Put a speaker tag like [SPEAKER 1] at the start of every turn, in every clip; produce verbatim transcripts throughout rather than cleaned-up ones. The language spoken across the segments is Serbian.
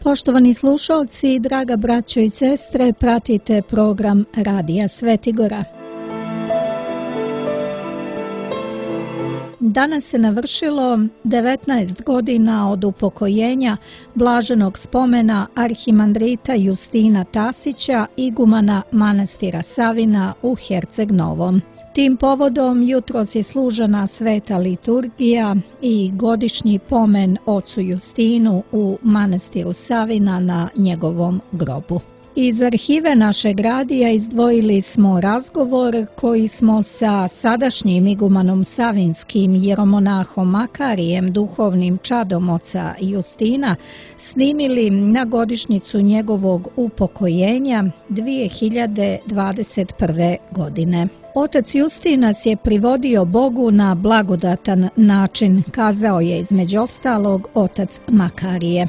[SPEAKER 1] Poštovani slušalci, draga braćo i sestre, pratite program Radija Svetigora. Danas se navršilo devetnaest godina od upokojenja blaženog spomena arhimandrita Justina Tasića, igumana manastira Savina u Herceg Novom. Tim povodom jutros je služena sveta liturgija i godišnji pomen ocu Justinu u manastiru Savina na njegovom grobu. Iz arhive našeg radija izdvojili smo razgovor koji smo sa sadašnjim igumanom savinskim jeromonahom Makarijem, duhovnim čadom oca Justina, snimili na godišnjicu njegovog upokojenja dvije hiljade dvadeset prve. godine. Otac Justin nas je privodio Bogu na blagodatan način, kazao je između ostalog otac Makarije.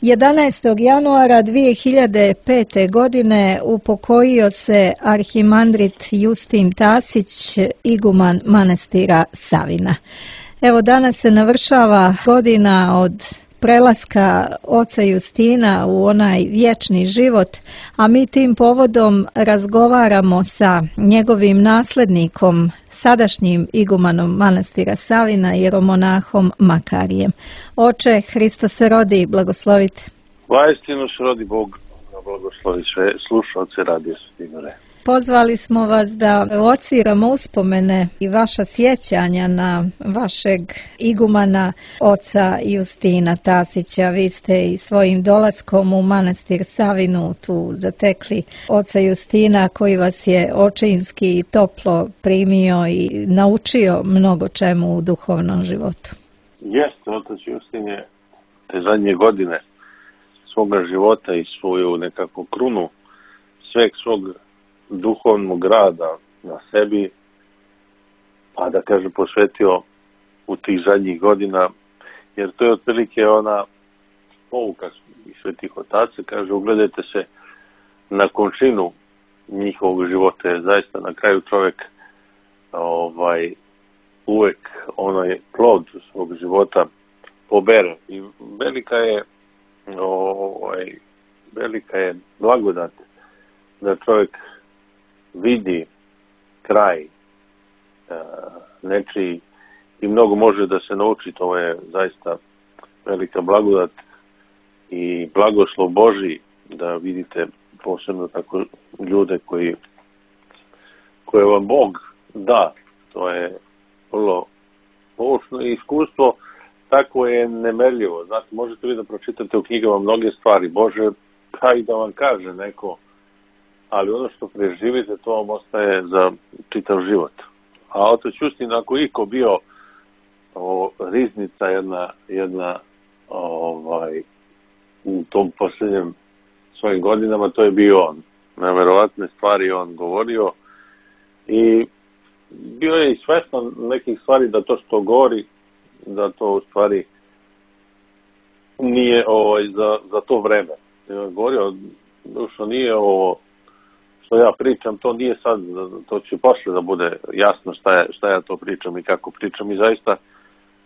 [SPEAKER 1] jedanaestog januara dvije hiljade pete. godine upokojio se arhimandrit Justin Tasić, iguman manastira Savina. Evo, danas se navršava godina od prelaska oca Justina u onaj vječni život, a mi tim povodom razgovaramo sa njegovim naslednikom, sadašnjim igumanom manastira Savina, jeromonahom Makarijem. Oče, Hristos se rodi, blagoslovite.
[SPEAKER 2] Vaistinu se rodi Bog, blagoslovi sve slušalce Radija Svetigora.
[SPEAKER 1] Pozvali smo vas da lociramo uspomene i vaša sjećanja na vašeg igumana oca Justina Tasića. Vi ste i svojim dolaskom u manastir Savinu tu zatekli oca Justina koji vas je očinski i toplo primio i naučio mnogo čemu u duhovnom životu.
[SPEAKER 2] Jeste, otac Justin je te zadnje godine svoga života i svoju nekakvu krunu sveg svog duhovnog rada na sebi, pa da kažem posvetio u tih zadnjih godina, jer to je otprilike ona pouka i svetih otaca, kaže, ugledajte se na končinu njihovog života, jer zaista na kraju čovjek ovaj, uvek onaj plod svog života pobere. I velika je ovaj, velika je blagodat da čovjek vidi kraj e, nečiji i mnogo može da se nauči. To je zaista velika blagodat i blagoslov Božji da vidite posebno tako ljude koji koje vam Bog da. To je vrlo poučno i iskustvo tako je nemerljivo. Znate, možete vi da pročitate u knjigama mnoge stvari Bože, pa i da vam kaže neko, ali ono što preživite, to vam ostaje za čitav život. A otac Justin, ako iko bio o, riznica jedna, jedna ovaj, u tom posljednjem svojim godinama, to je bio on. Neverovatne stvari on govorio i bio je i svestan nekih stvari da to što govori, da to u stvari nije ovaj, za, za to vreme. Govorio, što nije ovo što ja pričam, to nije sad, to će posle da bude jasno šta, je, šta ja to pričam i kako pričam. I zaista,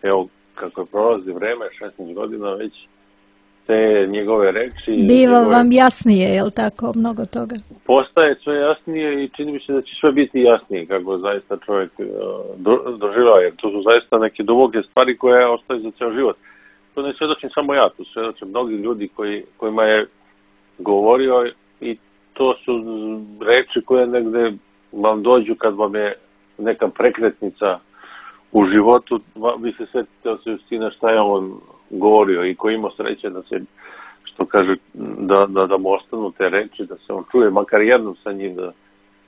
[SPEAKER 2] evo, kako je prolazi vreme, šesnaest godina već, te njegove reči...
[SPEAKER 1] Biva
[SPEAKER 2] njegove,
[SPEAKER 1] vam jasnije, je li tako, mnogo toga?
[SPEAKER 2] Postaje sve jasnije i čini mi se da će sve biti jasnije kako zaista čovjek do, doživljava, jer to su zaista neke duboke stvari koje ostaju za ceo život. To ne svedočim samo ja, to svedočim mnogi ljudi koji, kojima je govorio i to su reči koje negde vam dođu kad vam je neka prekretnica u životu, vi se sjetite od Justina šta je on govorio i ko ima sreće da se, što kaže, da, da, da mu ostanu te reči, da se on čuje, makar jednom sa njim, da,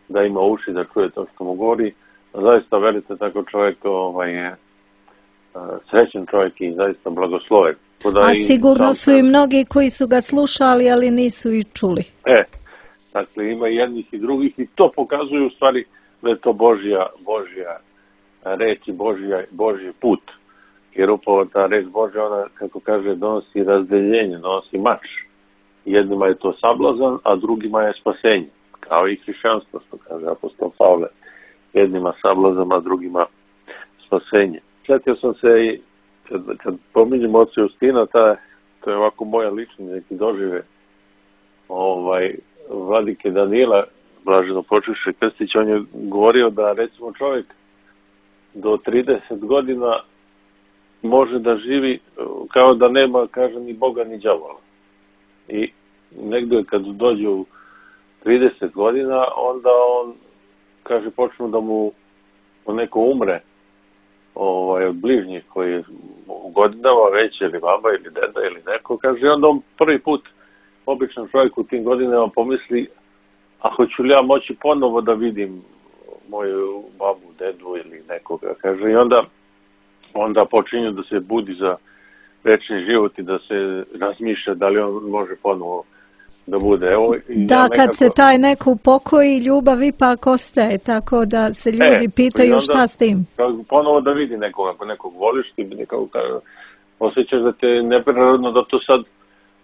[SPEAKER 2] da ima uši, da čuje to što mu govori. Zaista, verite, tako čovjek ovaj, je srećen čovjek i zaista blagosloven.
[SPEAKER 1] A sigurno su i mnogi koji su ga slušali, ali nisu i čuli.
[SPEAKER 2] E, dakle, ima jednih i drugih i to pokazuju u stvari da je to Božja, Božja reč i Božja, Božji put. Jer upravo ta reč Božja, ona, kako kaže, donosi razdeljenje, donosi mač. Jednima je to sablazan, a drugima je spasenje. Kao i hrišćanstvo, što kaže apostol Pavle. Jednima sablazan, a drugima spasenje. Sjetio sam se i kad, kad pominjem oca Justina, ta, to je ovako moja lični neki dožive ovaj, vladike Danila, blaženo počivši Krstić, on je govorio da recimo čovjek do trideset godina može da živi kao da nema, kaže, ni Boga ni đavola. I negdje kad dođe u trideset godina, onda on, kaže, počnu da mu neko umre ovaj, od bližnjih koji je u godinama već, ili baba, ili deda, ili neko, kaže, onda on prvi put, običan čovjek u tim godinama pomisli, a hoću li ja moći ponovo da vidim moju babu, dedu ili nekoga, kaže, i onda, onda počinju da se budi za večni život i da se razmišlja da li on može ponovo da bude. Evo,
[SPEAKER 1] da,
[SPEAKER 2] ja nekako...
[SPEAKER 1] kad se taj neko upokoji, ljubav ipak ostaje, tako da se ljudi e, pitaju onda, šta s tim.
[SPEAKER 2] Ponovo da vidi nekoga, ako nekog voliš, ti nekako osjećaš da te neprirodno, da to sad,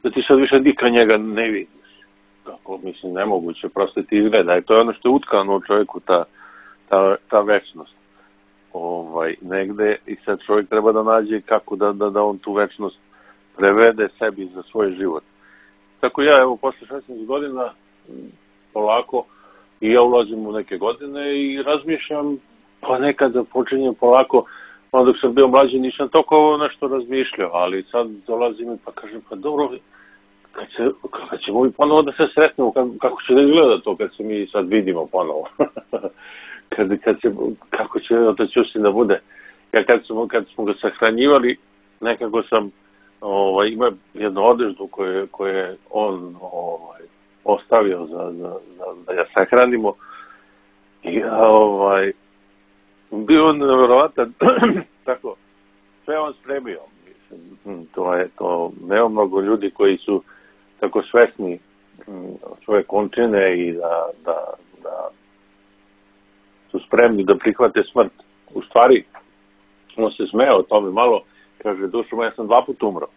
[SPEAKER 2] da ti sad više nikad njega ne vidiš. Kako, mislim, nemoguće, prosto ti izgleda. I to je ono što je utkano u čovjeku, ta, ta, ta večnost. Ovaj, negde, i sad čovjek treba da nađe kako da, da, da on tu večnost prevede sebi za svoj život. Tako ja, evo, posle šesnaest godina, polako, i ja ulazim u neke godine i razmišljam, pa nekada počinjem polako, onda dok sam bio mlađi nisam toliko nešto razmišljao, ali sad dolazim i pa kažem, pa dobro, kad, se, kad ćemo mi ponovo da se sretnemo, kako, kako će da izgleda to kad se mi sad vidimo ponovo? kad, kad se, kako će otac Justin da bude? Ja kad smo, kad smo ga sahranjivali, nekako sam ovaj, ima jednu odeždu koju, koju je on ovaj, ostavio za, za, za, da ja sahranimo. I ovaj, bio on nevjerovatan, tako, sve on spremio. Mislim, to je to, nema mnogo ljudi koji su tako svesni svoje končine i da, da, da su spremni da prihvate smrt. U stvari, on se smeo o tome malo, kaže, dušo moja, ja sam dva puta umro.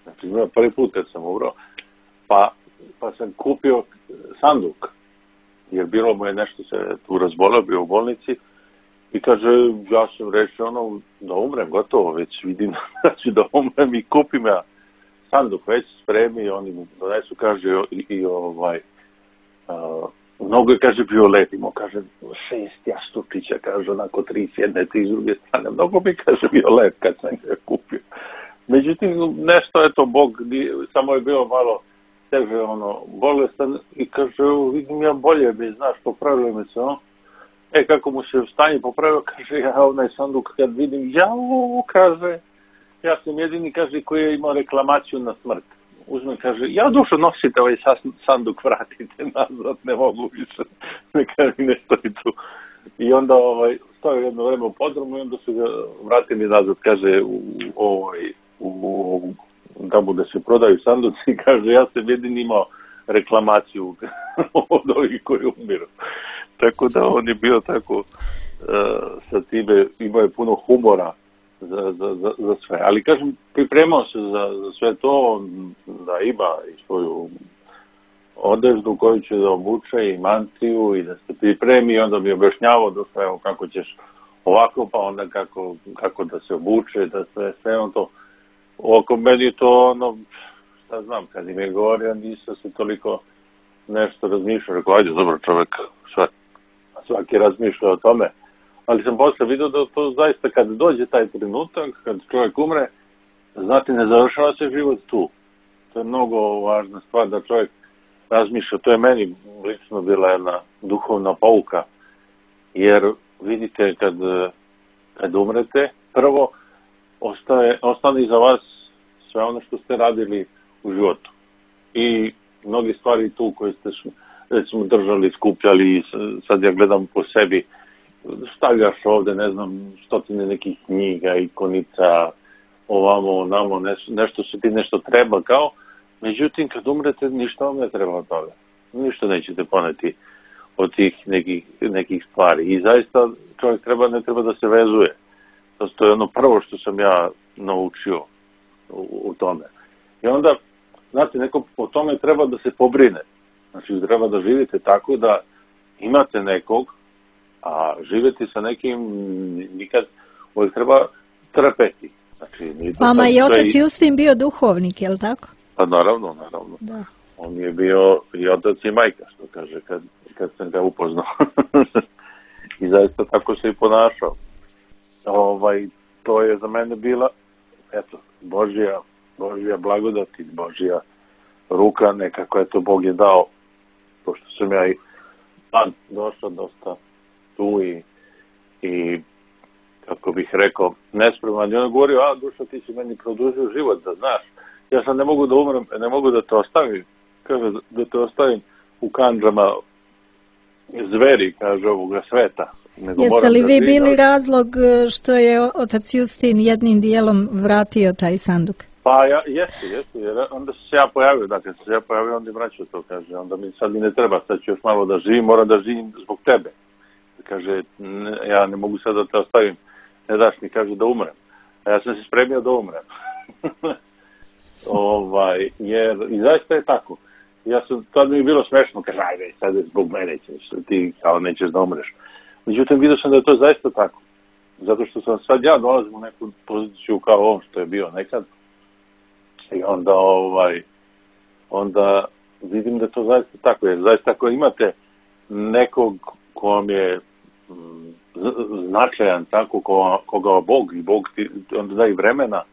[SPEAKER 2] Znači, imao prvi put kad sam umro, pa, pa sam kupio sanduk, jer bilo mu je nešto se tu razbolio, bio u bolnici, i kaže, ja sam rešio ono, da umrem, gotovo, već vidim da ću da umrem i kupim ja sanduk, već spremi, oni mu donesu, kaže, i, i ovaj, uh, mnogo je, kaže, bio let, imao, kaže, šest jastučića, kaže, onako tri s jedne, tri s druge strane, mnogo bi, kaže, bio let kad sam ga kupio. Međutim, nešto je to, Bog, samo je bilo malo teže, ono, bolestan, i kaže, vidim ja bolje, bi, znaš, popravilo mi se, no? E, kako mu se stanje popravio, kaže, ja onaj sanduk kad vidim, jao, kaže, ja sam jedini, kaže, koji je imao reklamaciju na smrt. Uzme, kaže, ja dušo nosite ovaj sanduk, vratite nazad, ne mogu više, neka mi ne stoji tu. I onda ovaj, stoji jedno vreme u podrumu i onda su ga vratili nazad, kaže, u, ovaj, u, u, da bude se prodaju sanduci, kaže, ja sam jedini imao reklamaciju od ovih koji umiru. Tako da on je bio tako uh, sa time, imao je puno humora za, za, za, za sve. Ali kažem, pripremao se za, za sve to, da ima i svoju odeždu koju će da obuče i mantiju i da se pripremi, i onda mi objašnjavao da sve, evo, kako ćeš ovako, pa onda kako, kako da se obuče, da sve, sve on to. Oko meni je to ono, šta znam, kad im je govorio, nisam se toliko nešto razmišljao, rekao, ajde, dobro, čovjek, sve, svaki razmišlja o tome, ali sam posle vidio da to zaista kad dođe taj trenutak, kad čovjek umre, znate, ne završava se život tu. To je mnogo važna stvar da čovjek razmišlja, to je meni lično bila jedna duhovna pouka, jer vidite, kad, kad umrete, prvo ostaje, ostane iza vas sve ono što ste radili u životu. I mnogi stvari tu koje ste, recimo, držali, skupljali, sad ja gledam po sebi, stavljaš ovde, ne znam, stotine nekih knjiga, ikonica, ovamo, onamo, nešto, nešto se ti nešto treba kao, međutim, kad umrete, ništa vam ne treba od toga. Ništa nećete poneti od tih nekih, nekih stvari. I zaista čovjek treba, ne treba da se vezuje. To je ono prvo što sam ja naučio u, u tome. I onda, znate, neko o tome treba da se pobrine. Znači, treba da živite tako da imate nekog, a živjeti sa nekim nikad uvijek treba trpeti. Znači, Znači, nije to
[SPEAKER 1] Vama
[SPEAKER 2] sad
[SPEAKER 1] je
[SPEAKER 2] sve
[SPEAKER 1] otac
[SPEAKER 2] i-
[SPEAKER 1] Justin bio duhovnik, je li tako?
[SPEAKER 2] Pa naravno, naravno.
[SPEAKER 1] Da.
[SPEAKER 2] On je bio i otac i majka, što kaže, kad, kad sam ga upoznao. I zaista tako se i ponašao. Ovaj, to je za mene bila, eto, Božja, Božja blagodat i Božja ruka, nekako je to Bog je dao, pošto sam ja i pan došao dosta tu i, i kako bih rekao, nespreman. I on je govorio, a dušo, ti si meni produžio život, da znaš. Ja sam ne mogu da umrem, ne mogu da te ostavim. Kaže, da te ostavim u kandžama zveri, kaže, ovoga sveta. Nego
[SPEAKER 1] Jeste
[SPEAKER 2] moram
[SPEAKER 1] li
[SPEAKER 2] da
[SPEAKER 1] vi
[SPEAKER 2] živim,
[SPEAKER 1] bili
[SPEAKER 2] ali-
[SPEAKER 1] razlog e, što je otac Justin jednim dijelom vratio taj sanduk?
[SPEAKER 2] Pa ja, jeste, jeste, jer onda se ja pojavio, dakle, se ja pojavio, onda im vraćao to, kaže, onda mi sad mi ne treba, sad ću još malo da živim, moram da živim zbog tebe. Kaže, ne, ja ne mogu sad da te ostavim, ne daš mi, kaže, da umrem. A ja sam se spremio da umrem. ovaj, jer, i zaista je tako. Ja sam, tad mi je bilo smešno, kaže, ajde, sad je zbog mene ćeš, ti kao nećeš da umreš. Međutim, vidio sam da je to zaista tako. Zato što sam sad ja dolazim u neku poziciju kao on što je bio nekad. I onda, ovaj, onda vidim da je to zaista tako. Jer zaista ako imate nekog ko vam je mm, z- značajan, tako, ko, koga Bog i Bog ti onda da i vremena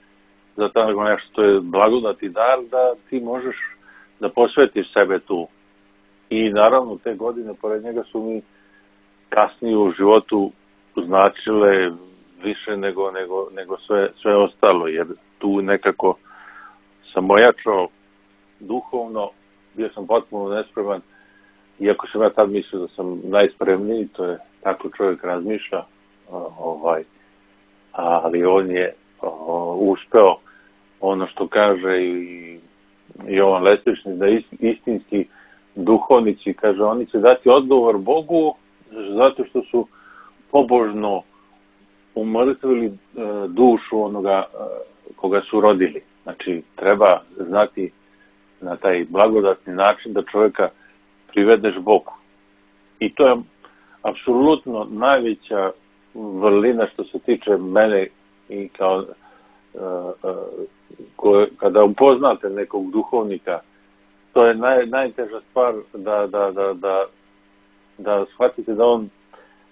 [SPEAKER 2] za tako nešto, to je blagodat i dar, da ti možeš da posvetiš sebe tu. I naravno te godine pored njega su mi kasnije u životu značile više nego, nego, nego sve, sve ostalo, jer tu nekako sam ojačao duhovno, bio sam potpuno nespreman, iako sam ja tad mislio da sam najspremniji, to je tako čovjek razmišlja, ovaj, ali on je o, uspeo ono što kaže i Jovan Leslični, da istinski duhovnici, kaže, oni će dati odgovor Bogu zato što su pobožno umrtvili e, dušu onoga e, koga su rodili. Znači, treba znati na taj blagodatni način da čovjeka privedeš Bogu. I to je apsolutno najveća vrlina što se tiče mene i kao e, e, ko, kada upoznate nekog duhovnika, to je naj, najteža stvar da, da, da, da, da shvatite da on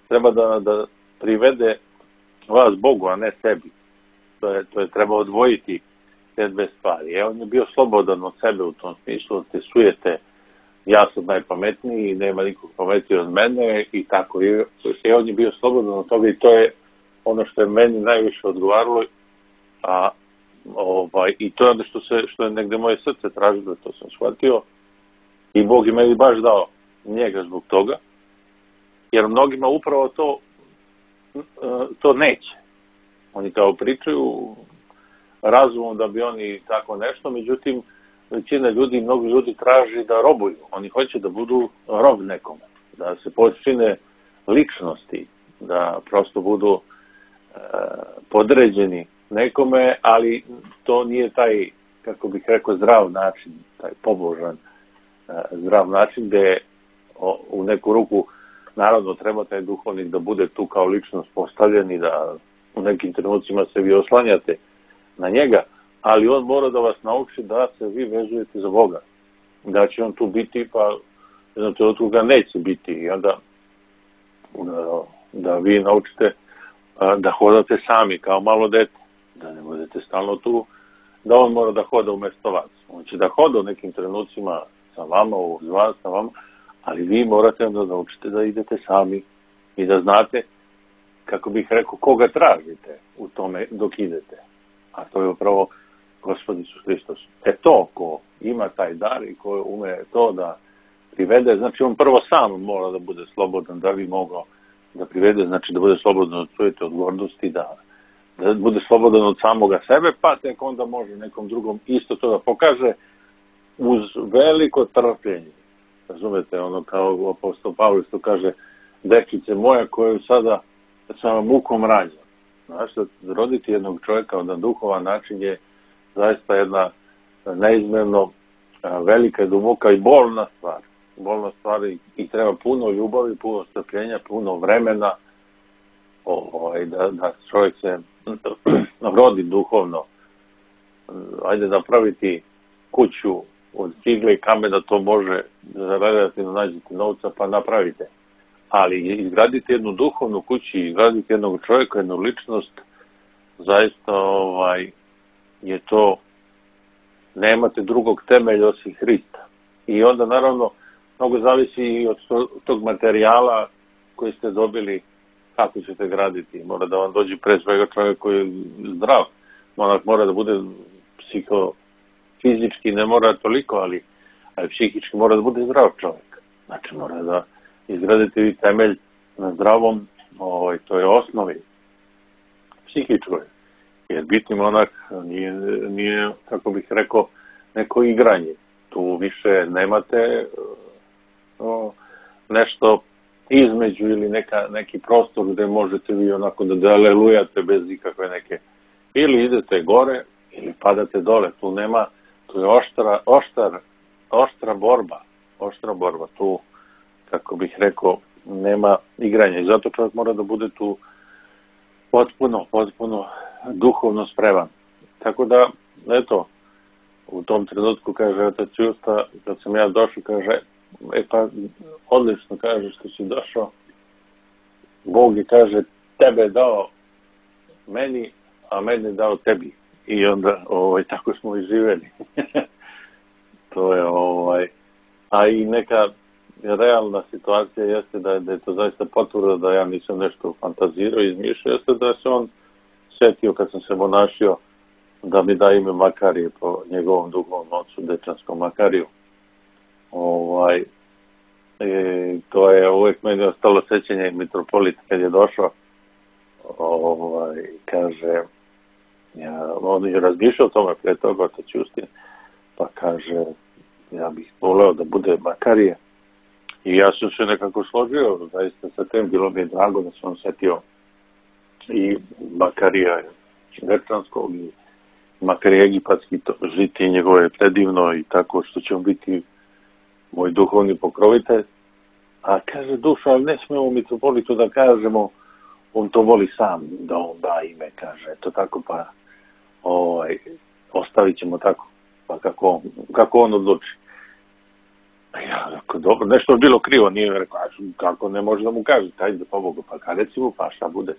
[SPEAKER 2] treba da, da privede vas Bogu, a ne sebi. To je, to je treba odvojiti te dve stvari. E, on je bio slobodan od sebe u tom smislu, te sujete, ja sam najpametniji i nema nikog pametniji od mene i tako. I, e, on je bio slobodan od toga i to je ono što je meni najviše odgovaralo, a ovaj, i to je ono što, se, što je negde moje srce tražilo, to sam shvatio i Bog je meni baš dao njega zbog toga, jer mnogima upravo to to neće. Oni kao pričaju razumom da bi oni tako nešto, međutim većina ljudi, mnogi ljudi traži da robuju. Oni hoće da budu rob nekome, da se počine ličnosti, da prosto budu e, podređeni nekome, ali to nije taj, kako bih rekao, zdrav način, taj pobožan e, zdrav način gde o, u neku ruku naravno treba taj duhovnik da bude tu kao ličnost postavljen i da u nekim trenucima se vi oslanjate na njega, ali on mora da vas nauči da se vi vezujete za Boga. Da će on tu biti, pa jednom trenutku ga neće biti. I onda da, da vi naučite da hodate sami kao malo dete, da ne budete stalno tu, da on mora da hoda umesto vas. On će da hoda u nekim trenucima sa vama, uz vas, sa vama, ali vi morate onda da naučite da idete sami i da znate, kako bih rekao, koga tražite u tome dok idete. A to je upravo Gospod Isus Hristos. E to, ko ima taj dar i ko ume to da privede, znači on prvo sam mora da bude slobodan, da bi mogao da privede, znači da bude slobodan od svoje odgovornosti, da, da bude slobodan od samoga sebe, pa tek onda može nekom drugom isto to da pokaže uz veliko trpljenje. Razumete, ono kao apostol Pavle što kaže, dekice moja koju sada sa mukom rađa. Znaš, da roditi jednog čovjeka na duhovan način je zaista jedna neizmjerno velika i duboka i bolna stvar. Bolna stvar i, i treba puno ljubavi, puno strpljenja, puno vremena ovaj, da, da čovjek se rodi duhovno. Ajde da praviti kuću od cigle i kamena, to može relativno nađete novca pa napravite. Ali izgraditi jednu duhovnu kuću, izgraditi jednog čovjeka, jednu ličnost, zaista ovaj, je to, nemate drugog temelja osim Hrista. I onda naravno mnogo zavisi i od tog materijala koji ste dobili, kako ćete graditi. Mora da vam dođe pre svega čovjek koji je zdrav. Monak mora da bude psiho, fizički ne mora toliko, ali, ali psihički mora da bude zdrav čovjek. Znači mora da izgradite vi temelj na zdravom, ovaj, to je osnovi psihičkoj. Jer biti monak nije, nije, kako bih rekao, neko igranje. Tu više nemate o, nešto između ili neka, neki prostor gde možete vi onako da dalelujate bez ikakve neke, ili idete gore ili padate dole. Tu nema, tu je oštra, oštar, oštra borba, oštra borba. Tu, kako bih rekao, nema igranja i zato čovjek mora da bude tu potpuno, potpuno duhovno spreman. Tako da, eto, u tom trenutku, kaže otac Justa, kad sam ja došao, kaže, e pa, odlično, kaže, što si došao. Bog je, kaže, tebe je dao meni, a mene je dao tebi. I onda, ovaj, tako smo i živeli. To je, ovaj, a i neka realna situacija jeste da, da je to zaista potvrda da ja nisam nešto fantazirao i izmišljao, jeste da se on setio kad sam se monašio da mi da ime Makarije po njegovom duhovnom ocu, Dečanskom Makariju. Ovaj, e, to je uvijek meni ostalo sećanje mitropolit kad je došao, ovaj, kaže, ja, on je razmišljao o tome pre toga, otac Justin, pa kaže, ja bih voleo da bude Makarije. I ja sam se nekako složio, zaista sa tem, bilo mi je drago da sam setio i Makarija Dečanskog i Makarija Egipatski, to žiti njegovo je predivno i tako što će on biti moj duhovni pokrovitelj. A kaže, dušo, ali ne smemo mitropolitu da kažemo, on to voli sam, da on da ime, kaže, eto tako, pa ovaj, ostavit ćemo tako, pa kako, kako on odluči. Ja, rekao, dobro, nešto je bilo krivo, nije rekao, kako ne može da mu kaže, ajde, pa Bogu, pa kada reci mu, pa šta bude.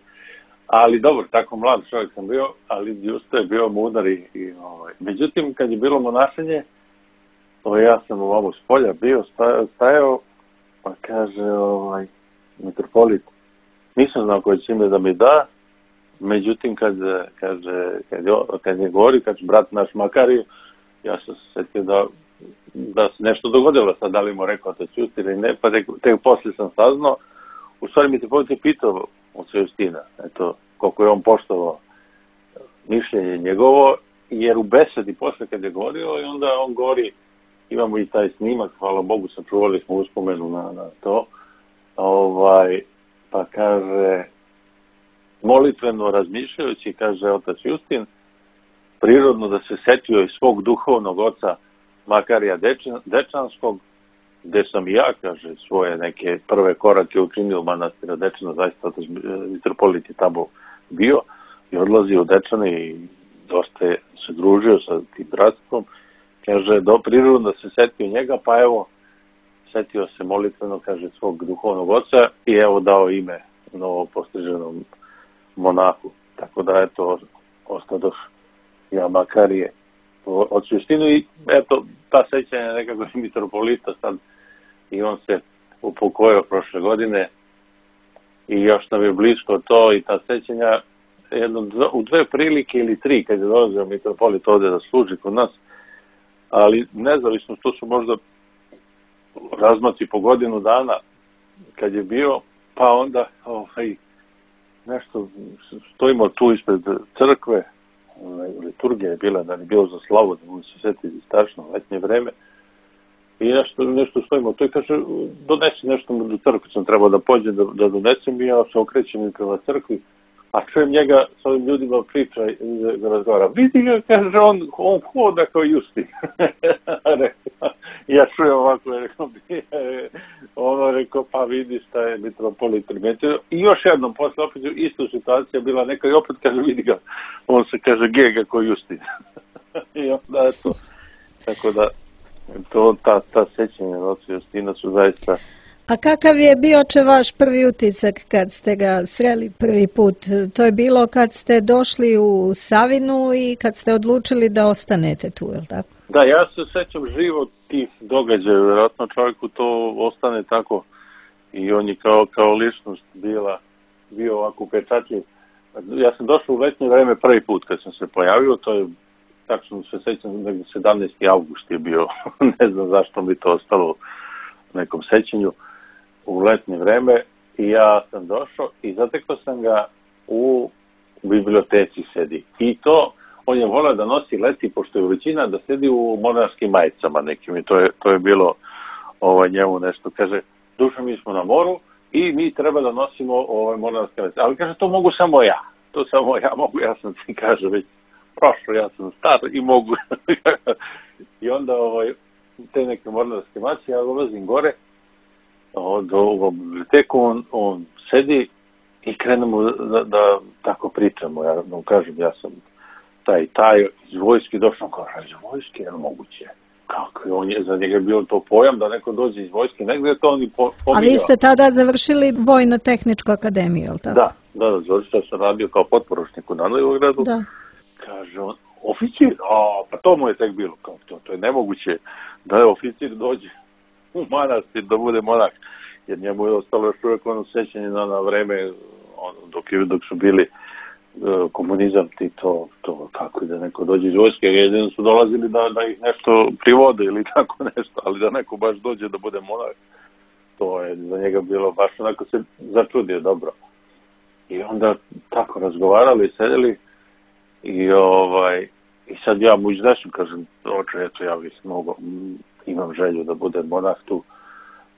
[SPEAKER 2] Ali dobro, tako mlad čovjek sam bio, ali Justo je bio mudar i, i ovaj. Međutim, kad je bilo monašenje, ovaj, ja sam ovamo s polja bio, stajao, stajao pa kaže, ovaj, mitropolit, nisam znao koje će ime da mi da, međutim, kad, kaže, kad, je, kad je govori, kad brat naš Makariju, ja sam se setio da da se nešto dogodilo, sad da li mu rekao to Justi ili ne, pa tek, tek poslije sam saznao. U stvari mitropolit je pitao od Justina, eto, koliko je on poštovao mišljenje njegovo, jer u besedi posle kad je govorio, i onda on govori, imamo i taj snimak, hvala Bogu, sačuvali smo uspomenu na, na to, ovaj, pa kaže, molitveno razmišljajući, kaže otac Justin, prirodno da se setio iz svog duhovnog oca Makarija Dečanskog, gde sam i ja, kaže, svoje neke prve korake učinio u manastira Dečana, zaista otac mitropolit je tamo bio i odlazio u Dečane i dosta je se družio sa tim bratstvom. Kaže, do prirodno da se setio njega, pa evo, setio se molitveno, kaže, svog duhovnog oca i evo dao ime novo postriženom monahu. Tako da, eto, ostadoš ja Makarije od Justinu i eto, ta sećanja nekako i mitropolita sad i on se upokojio prošle godine i još nam je blisko to i ta sećanja jedno, u dve prilike ili tri kad je dolazio mitropolit ovde da služi kod nas, ali nezavisno to su možda razmaci po godinu dana kad je bio, pa onda ovaj, nešto stojimo tu ispred crkve, liturgija je bila, da je bilo za slavu, da mu se seti strašno letnje vreme i nešto, nešto stojimo to i kaže, donesi nešto do crkve, sam trebao da pođem da, da donesem i ja se okrećem i prema crkvi, a čujem njega s ovim ljudima priča i razgovara. Vidi ga, kaže, on, on hoda kao Justin. Ja čujem ovako, rekao, ono rekao, pa vidi šta je mitropolit primetio. I još jednom, posle opet istu situacija bila neka i opet kaže, vidi ga, on se kaže, gega kao Justin. I onda je to. Tako da, to, ta, ta sećanja od oca Justina su zaista...
[SPEAKER 1] A kakav je bio če vaš prvi utisak kad ste ga sreli prvi put? To je bilo kad ste došli u Savinu i kad ste odlučili da ostanete tu, je li tako?
[SPEAKER 2] Da, ja se sećam živo tih događaja, vjerojatno čovjeku to ostane tako i on je kao, kao ličnost bila, bio ovako upečatljiv. Ja sam došao u letnje vreme prvi put kad sam se pojavio, to je tačno se sećam, negdje sedamnaesti avgust je bio, ne znam zašto mi to ostalo u nekom sećanju, u letnje vreme i ja sam došao i zatekao sam ga u biblioteci sedi. I to, on je volao da nosi leti, pošto je većina da sedi u monarskim majicama nekim i to je, to je bilo ovaj, njemu nešto. Kaže, Dušo, mi smo na moru i mi treba da nosimo ovaj, monarske majice. Ali kaže, to mogu samo ja. To samo ja mogu, ja sam ti kaže već prošlo, ja sam star i mogu. I onda ovaj, te neke mornarske majice, ja dolazim gore do u biblioteku, on, on sedi i krenemo da, da tako pričamo. Ja mu kažem, ja sam taj taj iz vojske došao, kaže, iz vojske, je li moguće? Kako je on je, za njega je bilo to pojam da neko dođe iz vojske, negdje je to on i po, pominjao.
[SPEAKER 1] A vi ste tada završili Vojno-tehničku akademiju, je li tako?
[SPEAKER 2] Da, da, da, završio sam radio kao potporučnik u Danilogradu.
[SPEAKER 1] Da.
[SPEAKER 2] Kaže on, oficir? A, pa to mu je tek bilo, kao to, to je nemoguće da je oficir dođe u manastir da bude monah, jer njemu je ostalo još uvijek ono sećanje na, na vreme on, dok, dok su bili uh, komunizam ti to, to kako da neko dođe iz vojske, jedino su dolazili da, da ih nešto privode ili tako nešto, ali da neko baš dođe da bude monah, to je za njega bilo baš onako se začudio dobro. I onda tako razgovarali, sedeli i ovaj i sad ja mu izdešim, kažem, oče, eto ja bih mogo, imam želju da budem monah tu.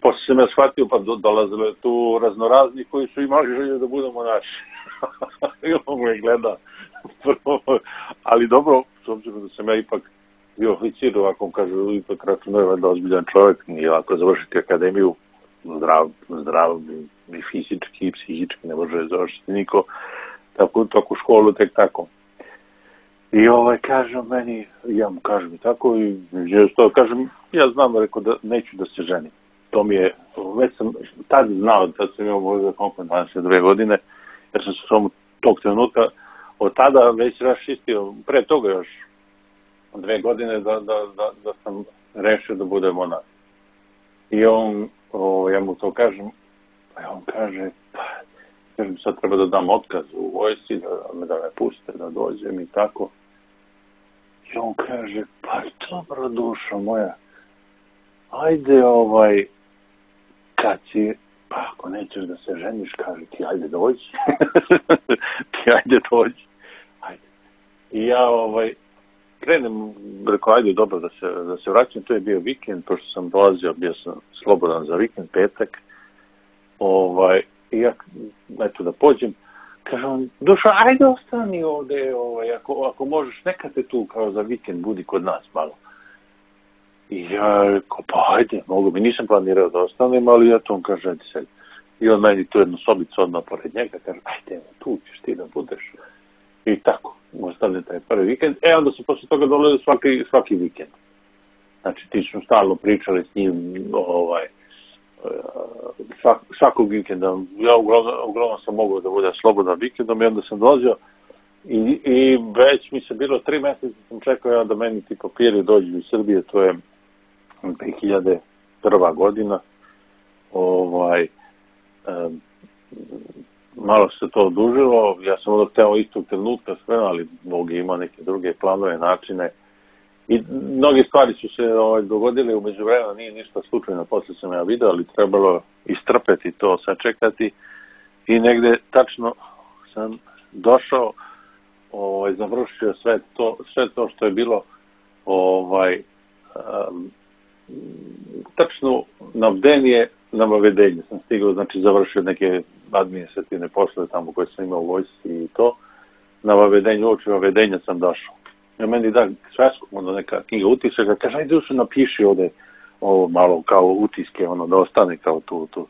[SPEAKER 2] Posle sam ja shvatio, pa do, dolazilo tu raznorazni koji su imali želju da budu monaši. I on me gleda. Ali dobro, s obzirom da sam ja ipak bio oficir, ovako kažu, ipak računaju da ozbiljan čovjek, nije lako završiti akademiju, zdrav, zdrav i fizički i psihički, ne može završiti niko tako, tako školu, tek tako. I ovaj, kažem meni, ja mu kažem i tako, i što kažem, ja znam, rekao da neću da se ženim. To mi je, već sam tad znao, tad sam imao možda koliko dvadeset dve godine, jer sam se samo tog trenutka, od tada već raščistio, pre toga još dve godine da, da, da, da sam rešio da budem monah. I on, o, ja mu to kažem, a on kaže, pa, kažem, sad treba da dam otkaz u vojsci, da, da me puste, da dođem i tako. I on kaže, pa dobro, dušo moja, ajde ovaj, kad si, pa ako nećeš da se ženiš, kaže ti, ajde dođi. Ti ajde dođi. Ajde. I ja ovaj, krenem, rekao, ajde dobro da se, da se vraćam, to je bio vikend, pošto sam dolazio, bio sam slobodan za vikend, petak. Ovaj, i ja, eto da pođem, kaže on, Dušo, ajde ostani ovde, ovaj, ako, ako možeš, neka te tu kao za vikend budi kod nas malo. I ja rekao, pa ajde, mogu mi, nisam planirao da ostanem, ali ja to on kaže, ajde sedi. I on meni tu jednu sobicu odmah pored njega, kaže, ajde, tu ćeš ti da budeš. I tako, ostane taj prvi vikend. E, onda su posle toga dolazili svaki, svaki vikend. Znači, ti smo stalno pričali s njim, ovaj, svak, svakog vikenda. Ja uglavnom, uglavnom sam mogao da budem slobodan vikendom i onda sam dolazio i, i već mi se bilo tri meseca sam čekao ja da meni ti papiri dođu iz Srbije, to je dve hiljade prva godina. Ovaj, um, malo se to odužilo, ja sam onda hteo istog trenutka sve, ali Bog je imao neke druge planove, načine i mnoge stvari su se ovaj, dogodile u međuvremenu, nije ništa slučajno, posle sam ja video, ali trebalo istrpeti to, sačekati i negde tačno sam došao, ovaj, završio sve to, sve to što je bilo ovaj, um, tačno na bdenje, na vavedenje sam stigao, znači završio neke administrativne poslove tamo koje sam imao u vojsci i to, na vavedenju, uoči vavedenja sam došao. Ja meni da svesku, onda neka knjiga utisaka, kaže, ajde ušao napiši ovde ovo malo kao utiske, ono, da ostane kao tu, tu.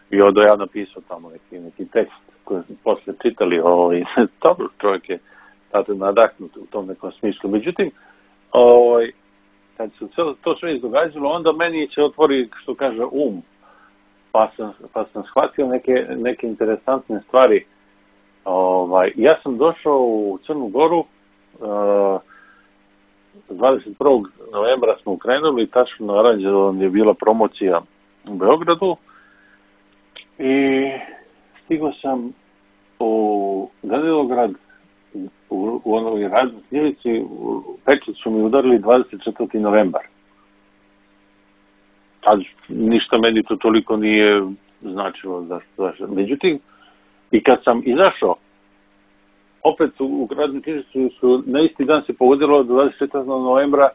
[SPEAKER 2] I onda ja napisao tamo neki, neki tekst koji smo posle čitali, ovo, i dobro, čovjek je tada nadahnut u tom nekom smislu. Međutim, ovaj, kad se to sve izdogađalo, onda meni se otvori, što kaže, um, pa sam, pa sam shvatio neke, neke interesantne stvari. Ovaj, ja sam došao u Crnu Goru, uh, dvadeset prvog novembra smo krenuli, tačno na Aranđelovom je bila promocija u Beogradu i stigao sam u Danilograd, u, u onoj radnoj knjižici, u pečat su mi udarili dvadeset četvrti novembar. Tad ništa meni to toliko nije značilo. Zašto, zašto. Međutim, i kad sam izašao, opet u, u radnoj knjižici su na isti dan se pogodilo dvadeset četvrtog novembra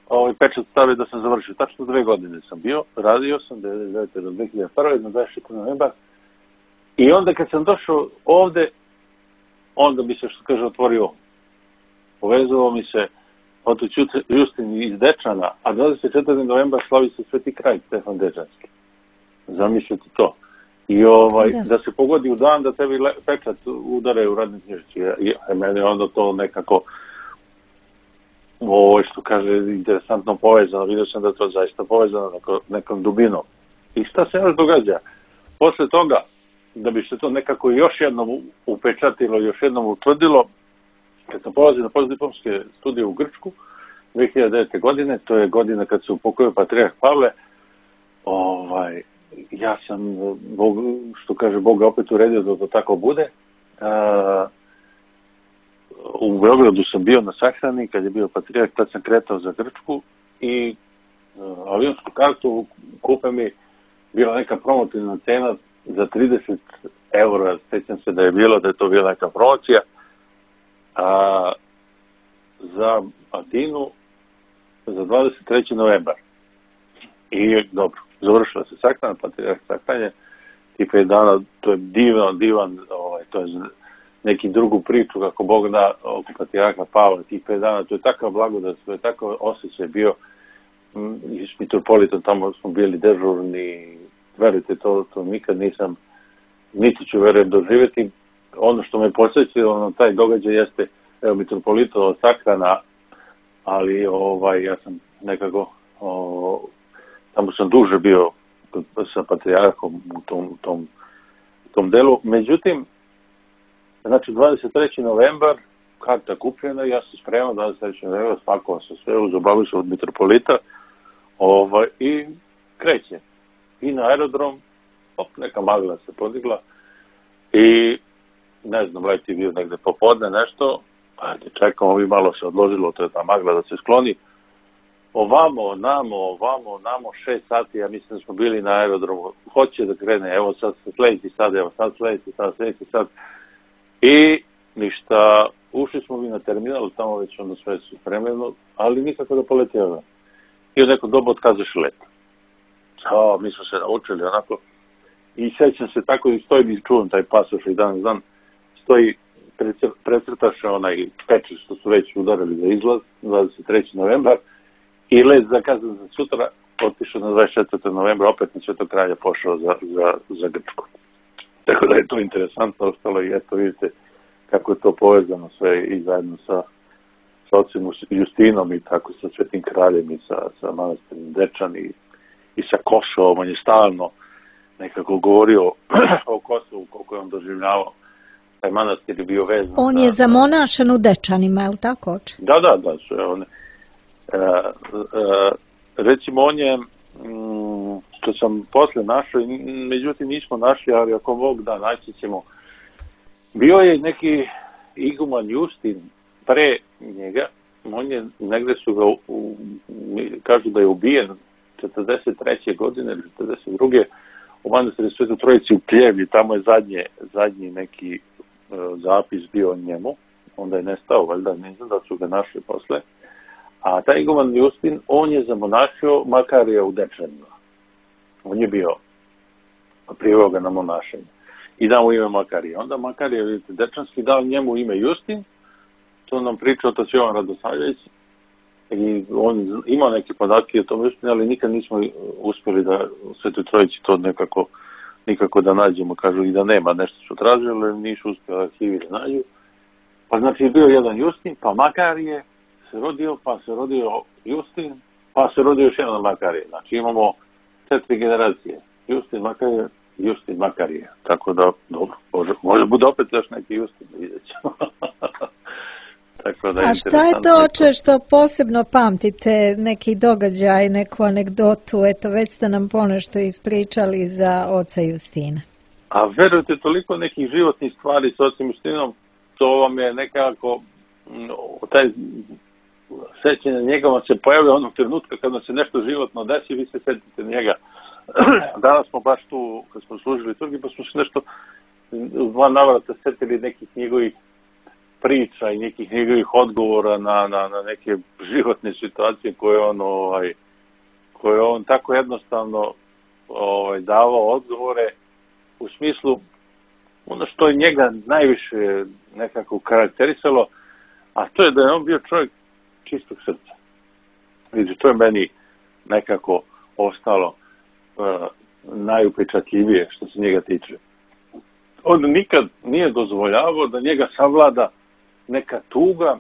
[SPEAKER 2] ovaj pečat stave da sam završio. Tačno dve godine sam bio, radio sam devedeset devete do dve hiljade prve na dvadeset četvrtog novembra. I onda kad sam došao ovde, onda mi se, što kaže, otvorio. Povezao mi se Oto Justin iz Dečana, a dvadeset četvrtog novembra slavi se Sveti kralj Stefan Dečanski. Zamislite to. I ovaj, da. da se pogodi u dan da tebi le, pečat udare u radnoj knjižici. I meni onda to nekako, ovo što kaže, interesantno povezano. Vidio sam da to zaista povezano neko, nekom dubinom. I šta se još događa? Posle toga, da bi se to nekako još jednom upečatilo, još jednom utvrdilo, kad sam polazio na postdiplomske studije u Grčku, dve hiljade devete. godine, to je godina kad se upokojio patrijarh Pavle, ovaj, ja sam, Bog, što kaže, Boga opet uredio da to tako bude. A, u Beogradu sam bio na sahrani, kad je bio patrijarh, tad sam kretao za Grčku i a, avionsku kartu kupe mi bila neka promotivna cena za trideset eura, sjećam se da je bilo, da je to bila neka promocija, a za Atinu za dvadeset treći novembar. I dobro, završila se sahrana, patrijarh sahranje, tih pet dana, to je divan, divan, ovaj, to je neki drugu priču, kako Bog da oko patrijarha Pavla, tih pet dana, to je takav blagodat, to je takav osjećaj bio, i s mitropolitom tamo smo bili dežurni, verujte, to, to nikad nisam, niti ću verujem doživjeti. Ono što me posjećilo na taj događaj jeste, evo, mitropolitova sahrana, ali ovaj, ja sam nekako, o, tamo sam duže bio sa patrijarhom u tom, u tom, u tom delu. Međutim, znači dvadeset treći novembar, karta kupljena, ja sam spreman, dvadeset treći novembar, spakovao sam sve, uzobavio sam od mitropolita, ovaj, i kreće. I na aerodrom, op, neka magla se podigla i ne znam, let je bio negde popodne nešto, ajde, čekamo, ovi malo se odložilo, to je ta magla da se skloni. Ovamo, namo, ovamo, namo, šest sati, ja mislim da smo bili na aerodromu, hoće da krene, evo sad sljedeći sad, evo sad sljedeći sad, sljedeći sad. I ništa, ušli smo mi na terminal, tamo već onda sve su spremljeno, ali nikako da poleti avion. I od nekog doba otkazaš let. O, mi smo se naučili onako. I sećam se tako i stoji, i čuvam taj pasoš i dan dan, stoji, precrtaš onaj pečat što su već udarili za izlaz, dvadeset treći novembar, i let zakazan za sutra, otišao na dvadeset četvrtog novembra, opet na Svetog kralja pošao za, za, za Grčku. Tako da je to interesantno ostalo i eto vidite kako je to povezano sve i zajedno sa, sa ocem Justinom i tako sa Svetim kraljem i sa, sa manastirom Dečan i, i sa Kosovom. On je stalno nekako govorio o Kosovu, koliko je on doživljavao. Taj manastir je bio vezan.
[SPEAKER 1] On je zamonašen u Dečanima, je li tako, oče?
[SPEAKER 2] Da, da, da. Su, on, e, e, recimo, on je, m, što sam posle našao, međutim nismo našli, ali ako Bog da, naći ćemo. Bio je neki iguman Justin pre njega, on je, negde su ga, u, kažu da je ubijen četrdeset treće godine ili četrdeset druge u manastiru Svetoj Trojici u Pljevlji, tamo je zadnje, zadnji neki uh, zapis bio o njemu, onda je nestao, valjda, ne znam da su ga našli posle. A taj iguman Justin, on je zamonašio Makarija u Dečanima. On je bio priveo ga na monašenje. i dao mu ime Makarije. Onda Makarije, vidite, dečanski dao njemu ime Justin, to nam pričao otac Jovan Radosavljević, i on imao neke podatke o tom Justinu, ali nikad nismo uspjeli da u Svetoj Trojici to nekako nikako da nađemo, kažu i da nema, nešto su tražili, ali nisu uspjeli arhivi da nađu. Pa znači bio jedan Justin, pa Makarije se rodio, pa se rodio Justin, pa se rodio još jedan Makarije. Znači imamo četiri generacije. Justin, Makarije, Justin, Makarije. Tako da, dobro, može, može bude opet još neki Justin, vidjet ćemo. Tako da,
[SPEAKER 1] a šta je to, oče, što posebno pamtite, neki događaj, neku anegdotu, eto već ste nam ponešto ispričali za oca Justina?
[SPEAKER 2] A verujte, toliko nekih životnih stvari s ocem Justinom, to vam je nekako, taj sećanje njega vam se pojavlja onog trenutka kada se nešto životno desi, vi se setite njega. Danas smo baš tu, kad smo služili Turgi, pa smo se nešto u dva navrata setili nekih njegovih priča i nekih njegovih odgovora na, na, na neke životne situacije koje on, ovaj, koje on tako jednostavno ovaj, davao odgovore u smislu ono što je njega najviše nekako karakterisalo, a to je da je on bio čovjek čistog srca. Vidite, to je meni nekako ostalo uh, najupečatljivije što se njega tiče. On nikad nije dozvoljavao da njega savlada neka tuga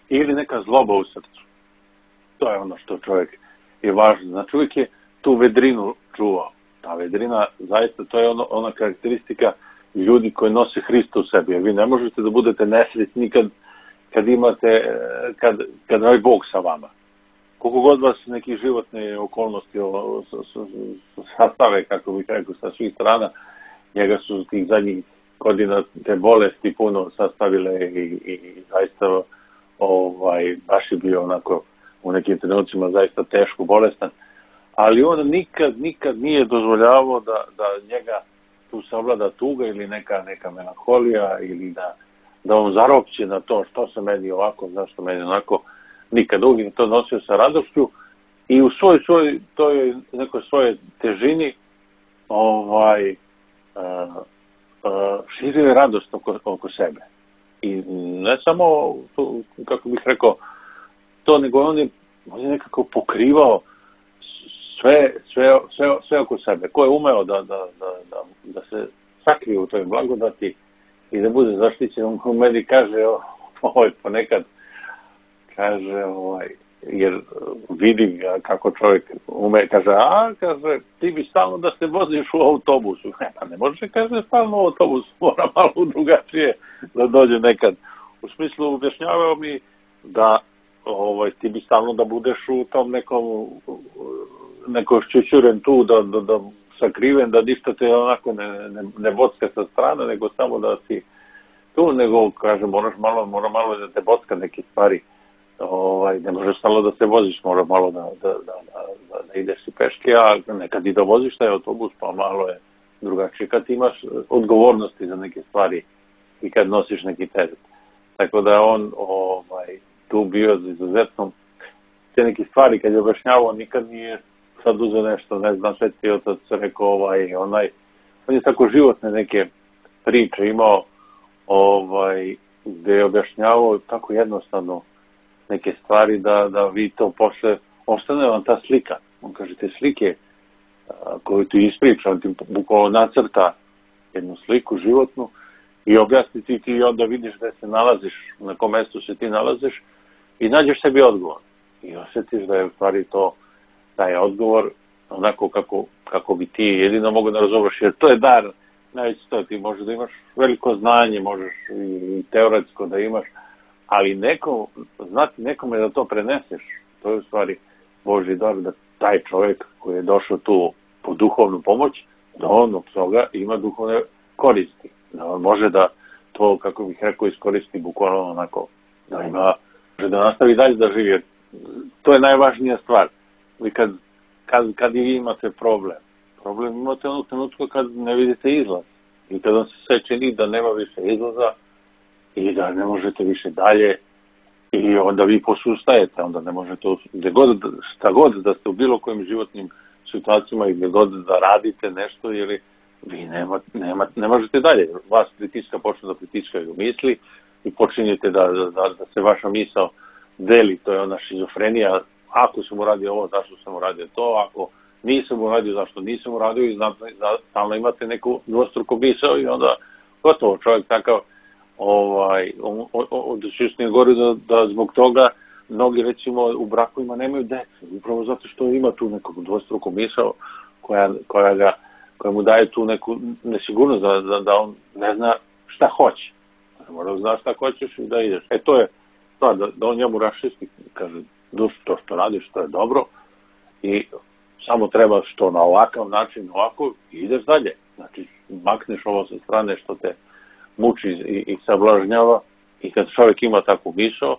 [SPEAKER 2] ili neka zloba u srcu. To je ono što čovjek je važno. Znači uvijek je tu vedrinu čuvao. Ta vedrina, zaista, to je ono, ona karakteristika ljudi koji nose Hrista u sebi. Jer vi ne možete da budete nesretni kad, kad imate, kad, kad ovaj Bog sa vama. Koliko god vas neki životne okolnosti sastave, kako bih rekao, sa svih strana, njega su tih zadnjih godina te bolesti puno sastavile i, i, i zaista ovaj, baš je bio onako u nekim trenucima zaista teško bolestan. Ali on nikad, nikad nije dozvoljavao da, da njega tu savlada tuga ili neka, neka melanholija ili da, da on zaropće na to što se meni ovako, zašto meni onako. Nikad, uvijek to nosio sa radošću i u svoj, svoj, toj nekoj svojoj težini ovaj, uh, uh, širio je radost oko, oko sebe. I ne samo, to, kako bih rekao, to, nego on je, on je nekako pokrivao sve, sve, sve, sve oko sebe. Ko je umeo da, da, da, da, da se sakrije u toj blagodati i da bude zaštićen, on u meni kaže, ovaj, ponekad, kaže, ovaj, jer vidi ga kako čovjek ume, kaže, a, kaže, ti bi stalno da se voziš u autobusu. Ne, pa ne može, kaže, stalno u autobusu, mora malo drugačije da dođe nekad. U smislu, objašnjavao mi da ovaj, ti bi stalno da budeš u tom nekom, neko šćućuren tu, da, da, da sakriven, da ništa te onako ne, ne, ne bocka sa strane, nego samo da si tu, nego, kaže, moraš malo, mora malo da te bocka neke stvari. Ovaj, ne možeš stalno da se voziš, mora malo da, da, da, da, da ideš i peške, a nekad i da voziš taj autobus, pa malo je drugačije kad imaš odgovornosti za neke stvari i kad nosiš neki teret. Tako da on ovaj, tu bio za izuzetno te neke stvari, kad je objašnjavao, nikad nije sad uzeo nešto, ne znam, Sveti Otac rekao, ovaj, onaj, on je tako životne neke priče imao, ovaj, gde je objašnjavao tako jednostavno neke stvari da, da vi to posle, ostane vam ta slika. On kaže, te slike a, koju ti ispriča, on ti bukvalno nacrta jednu sliku životnu i objasni ti, ti onda vidiš da se nalaziš, na kom mestu se ti nalaziš i nađeš sebi odgovor. I osjetiš da je u stvari to, taj odgovor onako kako, kako bi ti jedino mogu da razumeš, jer to je dar, najveći to, ti možeš da imaš veliko znanje, možeš i, i teoretsko da imaš, ali neko, znati nekome da to preneseš, to je u stvari Božji dar, da taj čovjek koji je došao tu po duhovnu pomoć, da on od toga ima duhovne koristi. Da on može da to, kako bih rekao, iskoristi bukvalno onako, da ima, da nastavi dalje da živi. To je najvažnija stvar. I kad, kad, kad i vi imate problem, problem imate onog trenutku kad ne vidite izlaz. I kad on se sve čini da nema više izlaza, i da ne možete više dalje i onda vi posustajete, onda ne možete, gdje god, šta god da ste u bilo kojim životnim situacijama i gdje god da radite nešto ili vi nema, nema, ne možete dalje. Vas pritiska, počne da pritiskaju misli i počinjete da, da, da se vaša misao deli, to je ona šizofrenija, ako sam uradio ovo, zašto sam uradio to, ako nisam uradio, zašto nisam uradio i stalno imate neku dvostruku misao i onda gotovo čovjek takav ovaj, onda se još nije govori da, da zbog toga mnogi recimo u brakovima nemaju dece, upravo zato što ima tu neku dvostruku misao koja, koja, ga, koja mu daje tu neku nesigurnost da, da, da on ne zna šta hoće. Mora da zna šta hoćeš i da ideš. E to je to, da, da on njemu rašisti, kaže, duš, to što radiš, to je dobro i samo treba što na ovakav način, ovako, i ideš dalje. Znači, makneš ovo sa strane što te muči i, i sablažnjava i kad čovjek ima takvu misao,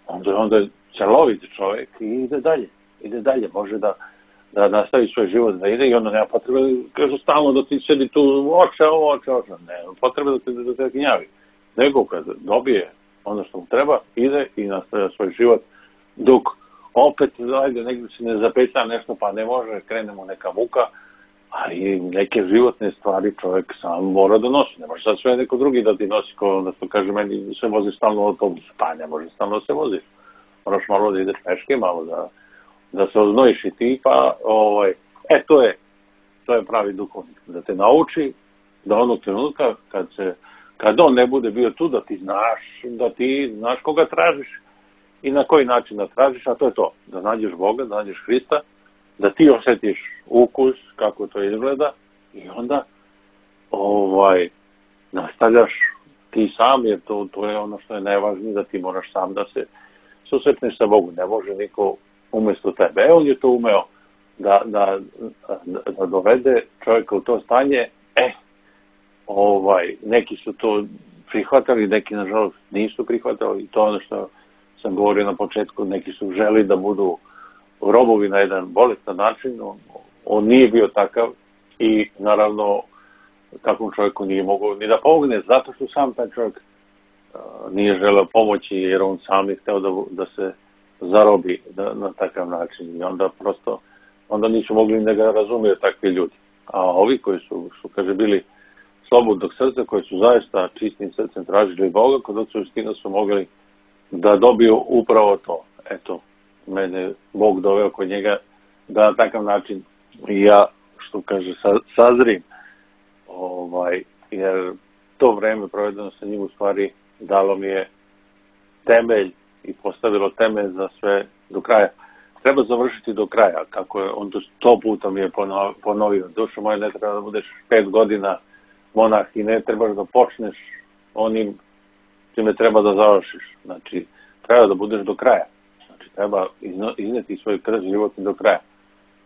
[SPEAKER 2] onda, onda je celovit čovjek i ide dalje. Ide dalje, može da, da nastavi svoj život da ide i onda nema potrebe, kaže, stalno da ti sedi tu oče, oče, oče. Ne, potrebe da te, da te gnjavi. Nego kad dobije ono što mu treba, ide i nastavlja svoj život dok opet, ajde, negdje se ne zapeća nešto, pa ne može, krenemo neka muka, ali neke životne stvari čovjek sam mora da nosi. Ne može sad sve neko drugi da ti nosi, ko onda što kaže meni, se vozi stalno autobus, pa ne može stalno se vozi. Moraš malo da ideš peške, malo da, da se oznojiš i ti, pa, ovaj, e, to je, to je pravi duhovnik, da te nauči, da onog trenutka, kad se, kad on ne bude bio tu, da ti znaš, da ti znaš koga tražiš, i na koji način da tražiš, a to je to, da nađeš Boga, da nađeš Hrista, da ti osjetiš ukus, kako to izgleda, i onda ovaj, nastavljaš ti sam, jer to, to je ono što je najvažnije, da ti moraš sam da se susretneš sa Bogom, ne može niko umjesto tebe. E, on je to umeo da, da, da, da dovede čovjeka u to stanje, e, ovaj, neki su to prihvatali, neki nažalost nisu prihvatali, i to ono što sam govorio na početku, neki su želi da budu robovi na jedan bolestan način, on, on nije bio takav i naravno takvom čovjeku nije mogao ni da pomogne, zato što sam taj čovjek uh, nije želeo pomoći jer on sam je hteo da, da se zarobi da, na takav način i onda prosto, onda nisu mogli da ga razumiju takvi ljudi. A ovi koji su, su kaže, bili slobodnog srca, koji su zaista čistim srcem tražili Boga, kod Oca Justina su mogli da dobiju upravo to. Eto, mene Bog doveo kod njega da na takav način ja, što kaže, sa, sazrim. Ovaj, jer to vreme provedeno sa njim u stvari dalo mi je temelj i postavilo temelj za sve do kraja. Treba završiti do kraja, kako je on to sto puta mi je ponovio. Dušo moje, ne treba da budeš pet godina monah i ne trebaš da počneš onim čime treba da završiš. Znači, treba da budeš do kraja. Znači, treba izneti svoj krst životni do kraja.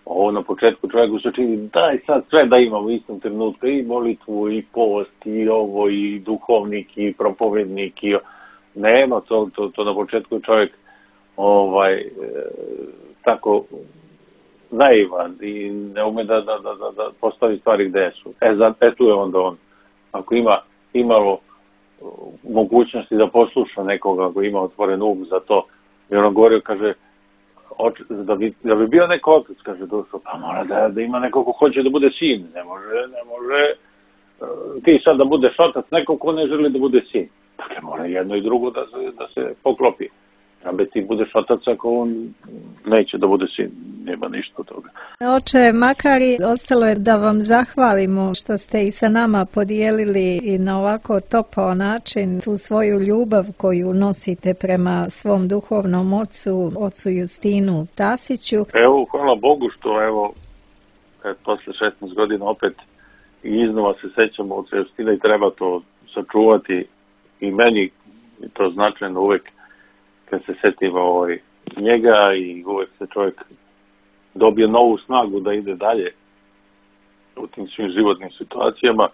[SPEAKER 2] Ovo na početku čovjeku se čini, daj sad sve da imamo u istom trenutku, i molitvu, i post, i ovo, i duhovnik, i propovednik, i nema, to, to, to na početku čovjek ovaj, e, tako naivan i ne ume da, da, da, da postavi stvari gde su. E, za, e tu je onda on, ako ima imalo mogućnosti da posluša nekoga, ako ima otvoren um za to, i on govorio, kaže, oč, da, bi, da bi bio neko otac, kaže Dušo, pa mora da, da ima neko ko hoće da bude sin, ne može, ne može uh, ti sad da budeš otac, neko ko ne želi da bude sin. Dakle, mora jedno i drugo da se, da se poklopi. Abe ti budeš otac ako on neće da bude sin, nema ništa od toga.
[SPEAKER 1] Oče Makari, ostalo je da vam zahvalimo što ste i sa nama podijelili i na ovako topao način tu svoju ljubav koju nosite prema svom duhovnom ocu, ocu Justinu Tasiću.
[SPEAKER 2] Evo, hvala Bogu što evo, kad posle šesnaest godina opet i iznova se sećamo oca Justina i treba to sačuvati i meni i to značajno uvek kad se setiva ovaj, njega i uvek se čovjek dobije novu snagu da ide dalje u tim svim životnim situacijama.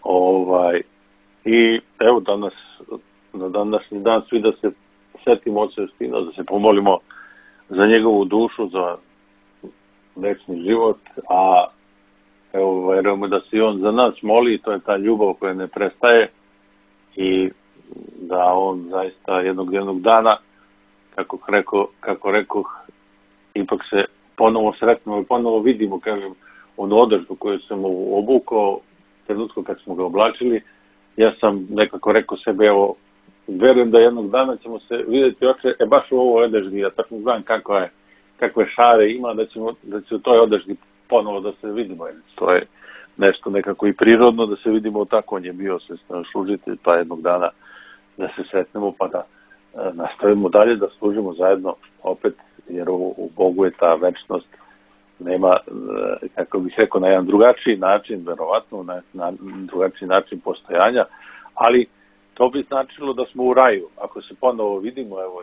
[SPEAKER 2] Ovaj, i evo danas, na današnji dan svi da se setimo oca Justina, da se pomolimo za njegovu dušu, za večni život, a evo, verujemo da se on za nas moli, to je ta ljubav koja ne prestaje i da on zaista jednog jednog dana, kako rekao, kako rekoh, ipak se ponovo sretnemo i ponovo vidimo, kažem, onu održbu koju sam mu obukao, trenutku kad smo ga oblačili, ja sam nekako rekao sebe, evo, verujem da jednog dana ćemo se vidjeti oče, e baš u ovoj odeždi, ja tako znam kakva je, kakve šare ima, da ćemo, da će u toj odeždi ponovo da se vidimo. To je nešto nekako i prirodno da se vidimo, tako on je bio služitelj, pa jednog dana da se sretnemo, pa da e, nastavimo dalje, da služimo zajedno opet, jer u, u Bogu je ta večnost, nema, e, kako bih rekao, na jedan drugačiji način, verovatno, na, na drugačiji način postojanja, ali to bi značilo da smo u raju. Ako se ponovo vidimo, evo,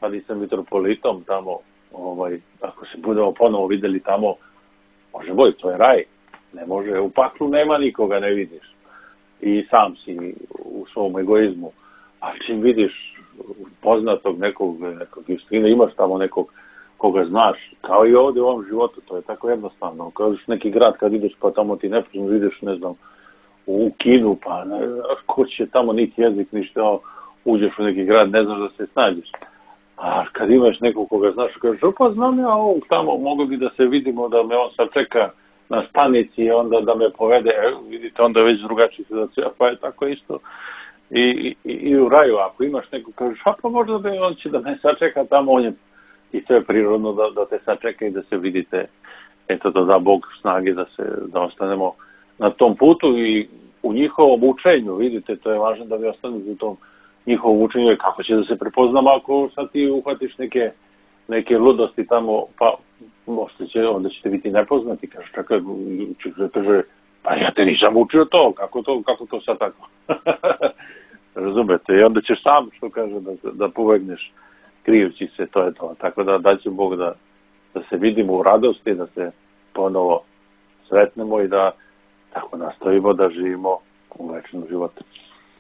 [SPEAKER 2] sad i sa mitropolitom tamo, ovaj, ako se budemo ponovo videli tamo, može boj, to je raj. Ne može, u paklu nema nikoga, ne vidiš. I sam si u svom egoizmu. A čim vidiš poznatog nekog, nekog Justina, imaš tamo nekog koga znaš, kao i ovdje u ovom životu, to je tako jednostavno. Kao neki grad, kad ideš pa tamo ti neprično vidiš, ne znam, u Kinu, pa ne znaš ko će tamo niti jezik, ništa, uđeš u neki grad, ne znaš da se snađeš. A kad imaš nekog koga znaš, kažeš, pa znam ja ovog tamo, mogu bi da se vidimo, da me on sad čeka na stanici, onda da me povede, e, vidite, onda već drugačiji situacija, pa je tako isto i, i, i u raju, ako imaš nekog, kažeš, a pa možda bi on će da me sačeka tamo, on je, i to je prirodno da, da te sačeka i da se vidite, eto da da Bog snage da se, da ostanemo na tom putu i u njihovom učenju, vidite, to je važno da vi ostanete u tom njihovom učenju, kako će da se prepoznamo ako sad ti uhvatiš neke, neke ludosti tamo, pa možda će, onda ćete biti nepoznati, kaže, čekaj, kaže, pa ja te nisam učio to, kako to, kako to sad tako? Razumete, i onda ćeš sam, što kaže, da, da pobegneš krijući se, to je to. Tako da daće Bog da, da se vidimo u radosti, da se ponovo sretnemo i da tako nastavimo da živimo u večnom životu.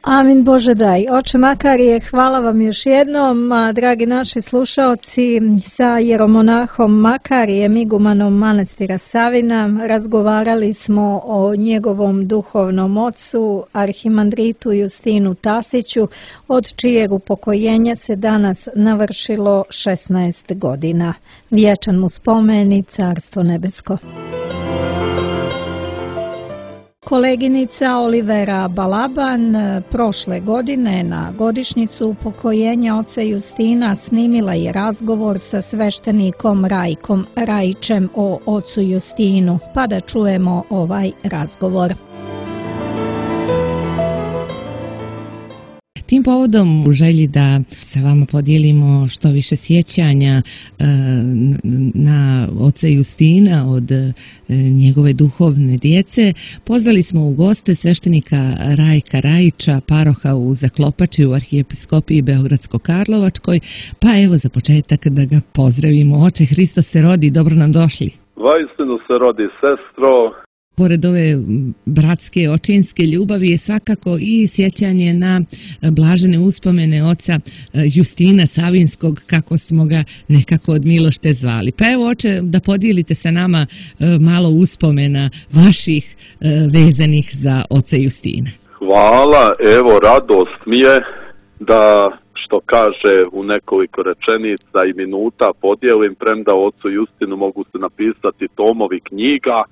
[SPEAKER 1] Amin Bože daj. Oče Makarije, hvala vam još jednom, a, dragi naši slušaoci, sa jeromonahom Makarijem, igumanom manastira Savina, razgovarali smo o njegovom duhovnom ocu, arhimandritu Justinu Tasiću, od čijeg upokojenja se danas navršilo šesnaest godina. Vječan mu spomen i carstvo nebesko. Koleginica Olivera Balaban prošle godine na godišnjicu upokojenja oca Justina snimila je razgovor sa sveštenikom Rajkom Rajićem o ocu Justinu, pa da čujemo ovaj razgovor.
[SPEAKER 3] Tim povodom, u želji da sa vama podijelimo što više sjećanja e, na oca Justina od e, njegove duhovne djece, pozvali smo u goste sveštenika Rajka Rajića, paroha u Zaklopači u arhijepiskopiji Beogradsko-Karlovačkoj, pa evo za početak da ga pozdravimo. Oče, Hristos se rodi, dobro nam došli.
[SPEAKER 4] Vaistinu se rodi, sestro.
[SPEAKER 3] Pored ove bratske, očinske ljubavi je svakako i sjećanje na blažene uspomene oca Justina Savinskog, kako smo ga nekako od milošte zvali. Pa evo, oče, da podijelite sa nama malo uspomena vaših vezanih za oca Justina.
[SPEAKER 4] Hvala, evo, radost mi je da, što kaže u nekoliko rečenica i minuta, podijelim, premda ocu Justinu mogu se napisati tomovi knjiga,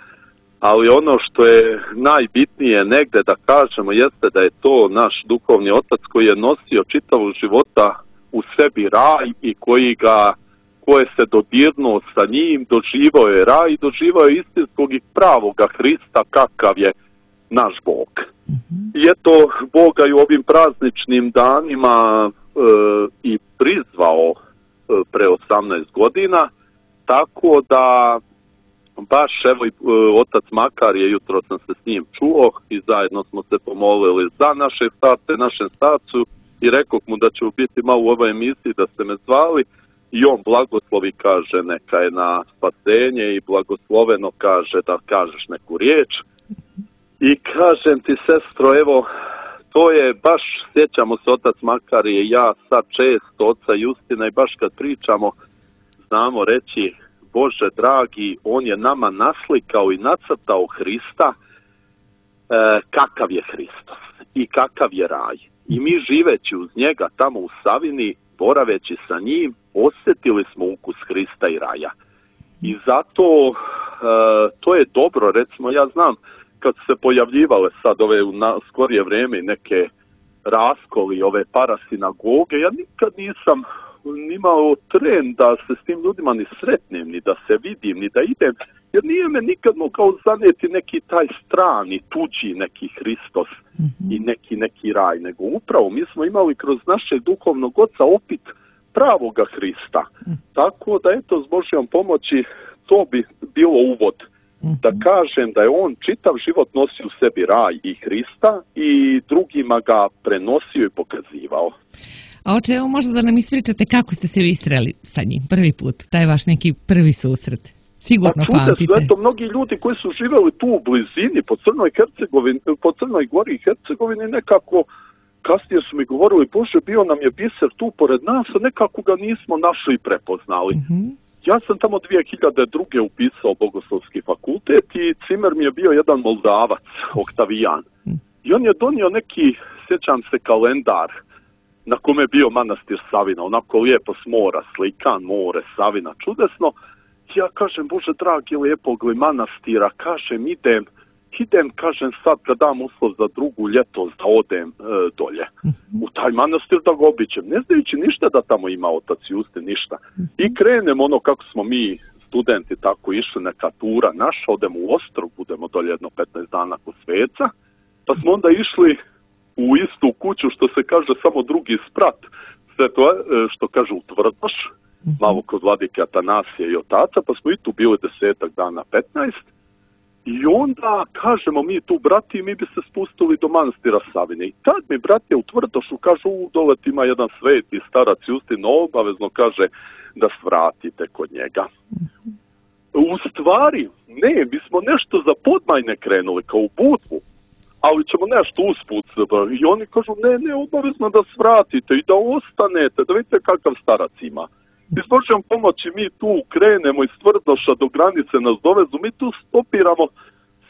[SPEAKER 4] ali ono što je najbitnije negde da kažemo jeste da je to naš duhovni otac koji je nosio čitavog života u sebi raj i koji ga, koje se dodirnuo sa njim, doživao je raj i doživao je istinskog i pravoga Hrista kakav je naš Bog. Mm-hmm. I eto, Boga i u ovim prazničnim danima e, i prizvao e, pre osamnaest godina, tako da baš evo i otac Makarije, jutro sam se s njim čuo i zajedno smo se pomolili za naše starce, našem starcu i rekao mu da će biti malo u ovoj emisiji da ste me zvali i on blagoslovi, kaže neka je na spasenje i blagosloveno kaže da kažeš neku riječ. I kažem ti, sestro, evo, to je baš, sjećamo se otac Makarije, ja sad često oca Justina i baš kad pričamo znamo reći, Bože dragi, on je nama naslikao i nacrtao Hrista, e, kakav je Hristos i kakav je raj. I mi živeći uz njega tamo u Savini, boraveći sa njim, osjetili smo ukus Hrista i raja. I zato e, to je dobro, recimo ja znam, kad se pojavljivale sad ove u na, skorije vrijeme neke raskoli, ove parasinagoge, ja nikad nisam imao tren da se s tim ljudima ni sretnem, ni da se vidim, ni da idem, jer nije me nikad mogao zaneti neki taj strani, tuđi neki Hristos mm-hmm. i neki neki raj, nego upravo mi smo imali kroz našeg duhovnog oca opit pravoga Hrista. Mm. Tako da eto, s Božjom pomoći to bi bilo uvod. Mm-hmm. Da kažem da je on čitav život nosio u sebi raj i Hrista i drugima ga prenosio i pokazivao.
[SPEAKER 3] A oče, evo možda da nam ispričate kako ste se vi sreli sa njim prvi put, taj vaš neki prvi susret. Sigurno pa, pamtite.
[SPEAKER 4] Eto, mnogi ljudi koji su živjeli tu u blizini, po Crnoj Hercegovini, po Crnoj Gori i Hercegovini, nekako kasnije su mi govorili, Bože, bio nam je biser tu pored nas, a nekako ga nismo našli i prepoznali. Mm-hmm. Ja sam tamo dvije hiljade druge upisao Bogoslovski fakultet i cimer mi je bio jedan Moldavac, Oktavijan. Mm-hmm. I on je donio neki, sjećam se, kalendar na kome je bio manastir Savina, onako lijepo s mora, slikan, more, Savina, čudesno. Ja kažem, Bože dragi, lijepog li manastira, kažem, idem, idem, kažem, sad kad dam uslov za drugu ljetos da odem e, dolje u taj manastir da ga obiđem, ne znajući ništa da tamo ima otac Justin, ništa. I krenem ono kako smo mi studenti tako išli, neka tura naša, odemo u Ostrog, budemo dolje jedno petnaest dana kod sveca, pa smo onda išli u istu kuću, što se kaže samo drugi sprat, sve to što kaže u Tvrdoš, malo kod vladike Atanasije i otaca, pa smo i tu bili desetak dana, petnaest, i onda kažemo mi tu, brati, mi bi se spustili do manastira Savine. I tad mi brati u Tvrdošu kažu, u dole ima jedan sveti starac Justin, obavezno kaže da svratite kod njega. U stvari, ne, mi smo nešto za Podmajne krenuli, kao u Budvu, ali ćemo nešto usput. I oni kažu, ne, ne, obavezno da svratite i da ostanete, da vidite kakav starac ima. I s Božjom pomoći mi tu krenemo iz Tvrdoša do granice nas dovezu, mi tu stopiramo,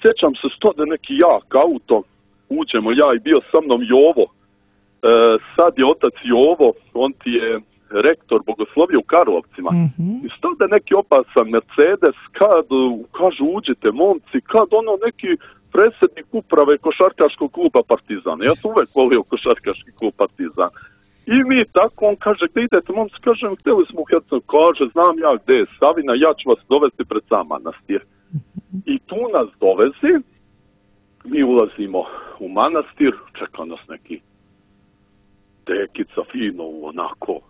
[SPEAKER 4] sjećam se stode neki jak auto, uđemo ja i bio sa mnom Jovo, e, sad je otac Jovo, on ti je rektor bogoslovije u Karlovcima. Mm-hmm. I stode neki opasan Mercedes, kad kažu uđite momci, kad ono neki predsjednik uprave košarkaškog kluba Partizan. Ja sam uvek volio košarkaški klub Partizan. I mi tako, on kaže, gdje idete, momci, kažem, htjeli smo u Hercegovini, kaže, znam ja gdje je Savina, ja ću vas dovesti pred sam manastir. I tu nas dovezi, mi ulazimo u manastir, čeka nas neki dekica fino, onako,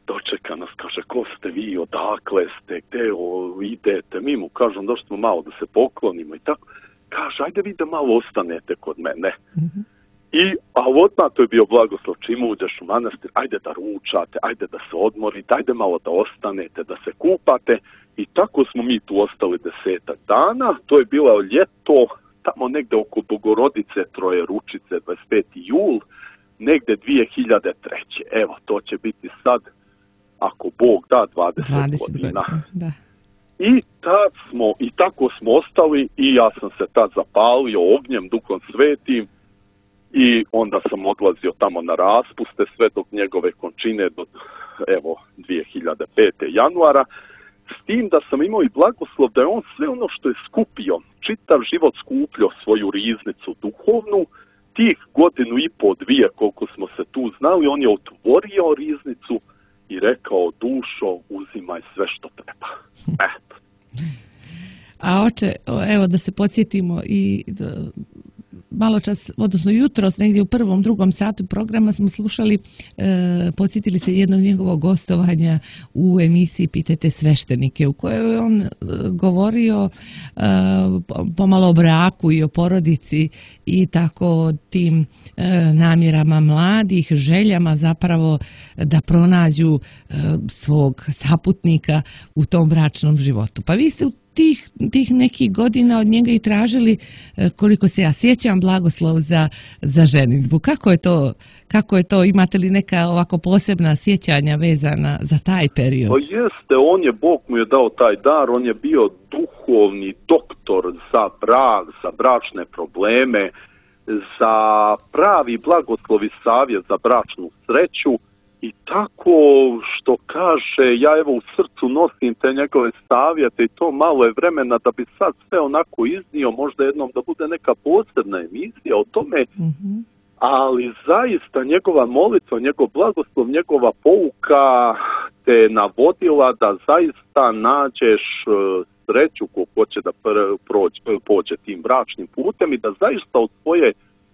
[SPEAKER 4] dočeka nas, kaže, ko ste vi, odakle ste, gdje o, idete, mi mu kažem, došli smo malo da se poklonimo i tako, kaže, ajde vi da malo ostanete kod mene. Mm-hmm. I, a odmah to je bio blagoslov, čim uđeš u manastir, ajde da ručate, ajde da se odmorite, ajde malo da ostanete, da se kupate. I tako smo mi tu ostali desetak dana, to je bilo ljeto, tamo negde oko Bogorodice, Troje Ručice, dvadeset peti jul, negde dvije hiljade treće. Evo, to će biti sad, ako Bog da, dvadeset, dvadeset godina. Da. I tad smo, i tako smo ostali i ja sam se tad zapalio ognjem, Duhom Svetim, i onda sam odlazio tamo na raspuste sve dok njegove končine do evo dvije hiljade pete. januara, s tim da sam imao i blagoslov da je on sve ono što je skupio, čitav život skupljio svoju riznicu duhovnu, tih godinu i po dvije koliko smo se tu znali, on je otvorio riznicu i rekao, dušo, uzimaj sve što treba. Eto.
[SPEAKER 3] A oče, evo da se podsjetimo i malo čas, odnosno jutros, negdje u prvom, drugom satu programa smo slušali, e, podsjetili se jednog njegovog gostovanja u emisiji Pitajte sveštenike, u kojoj je on e, govorio e, pomalo o braku i o porodici i tako o tim e, namjerama mladih, željama zapravo da pronađu e, svog saputnika u tom bračnom životu. Pa vi ste u Tih, tih nekih godina od njega i tražili, koliko se ja sjećam, blagoslov za, za ženidbu. Kako je to, kako je to, imate li neka ovako posebna sjećanja vezana za taj period?
[SPEAKER 4] Pa jeste, on je, Bog mu je dao taj dar, on je bio duhovni doktor za brak, za bračne probleme, za pravi blagoslov i savjet za bračnu sreću I tako što kaže, ja evo u srcu nosim te njegove savjete i to malo je vremena da bi sad sve onako iznio, možda jednom da bude neka posebna emisija o tome, mm-hmm. ali zaista njegova molitva, njegov blagoslov, njegova pouka te navodila da zaista nađeš sreću ko hoće da prođe, pođe tim bračnim putem i da zaista od svoje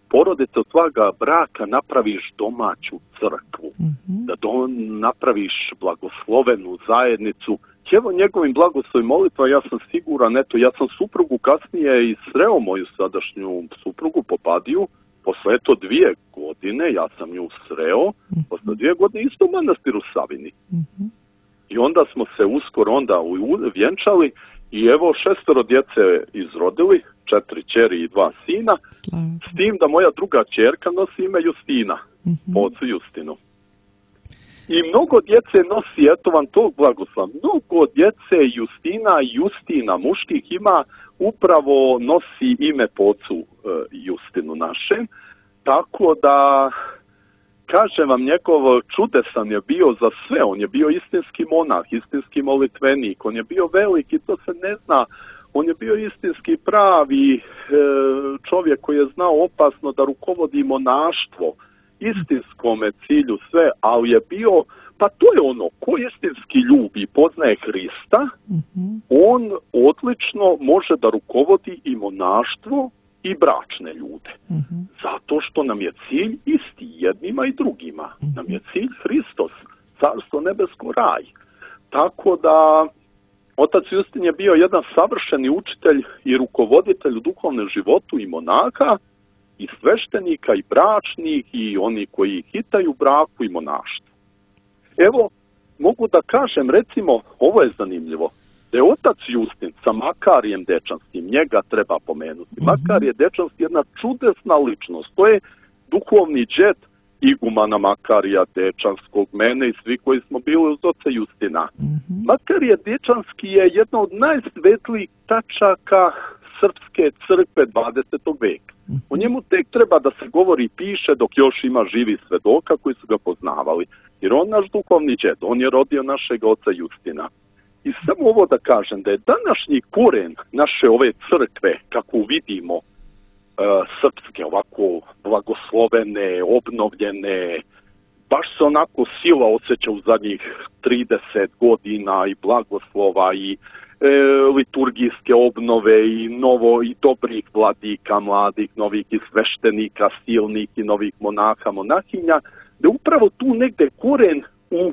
[SPEAKER 4] porodice, od svoga braka napraviš domaću crkvu, mm-hmm. da do, napraviš blagoslovenu zajednicu. Evo njegovim blagoslovim molitva, ja sam siguran, eto, ja sam suprugu kasnije i sreo moju sadašnju suprugu Popadiju, posle eto dvije godine, ja sam nju sreo, mm-hmm. posle dvije godine isto u manastiru Savini. Mm-hmm. I onda smo se uskoro onda vjenčali i evo šestoro djece izrodili, četiri ćeri i dva sina, Slavu. S tim da moja druga ćerka nosi ime Justina, mm-hmm. po ocu Justinu. I mnogo djece nosi, eto vam tog blagoslova, mnogo djece Justina i Justina muških ima, upravo nosi ime po ocu uh, Justinu našem, tako da kažem vam, njegov čudesan je bio za sve, on je bio istinski monah, istinski molitvenik, on je bio veliki, to se ne zna, on je bio istinski pravi e, čovjek koji je znao opasno da rukovodi monaštvo, istinskome cilju sve, ali je bio, pa to je ono, ko istinski ljubi i poznaje Hrista, mm-hmm. on odlično može da rukovodi i monaštvo i bračne ljude. Mm-hmm. Zato što nam je cilj isti jednima i drugima. Mm-hmm. Nam je cilj Hristos, carstvo nebesko, raj. Tako da otac Justin je bio jedan savršeni učitelj i rukovoditelj u duhovnom životu i monaha, i sveštenika, i bračnih, i oni koji hitaju braku i monaštvu. Evo, mogu da kažem, recimo, ovo je zanimljivo, da je otac Justin sa Makarijem Dečanskim, njega treba pomenuti. Mm-hmm. Makarije Dečanski je jedna čudesna ličnost, to je duhovni džet igumana Makarija Dečanskog, mene i svi koji smo bili uz oca Justina. Mm-hmm. Makarije Dečanski je jedna od najsvetlijih tačaka srpske crkve dvadesetog veka. Mm-hmm. O njemu tek treba da se govori i piše dok još ima živi svedoka koji su ga poznavali. Jer on naš duhovni džed, on je rodio našeg oca Justina. I samo ovo da kažem, da je današnji koren naše ove crkve, kako vidimo, uh, srpske, ovako blagoslovene, obnovljene, baš se onako sila osjeća u zadnjih trideset godina i blagoslova i e, liturgijske obnove i novo i dobrih vladika, mladih, novih i sveštenika, silnih i novih monaha, monahinja, da upravo tu negde koren u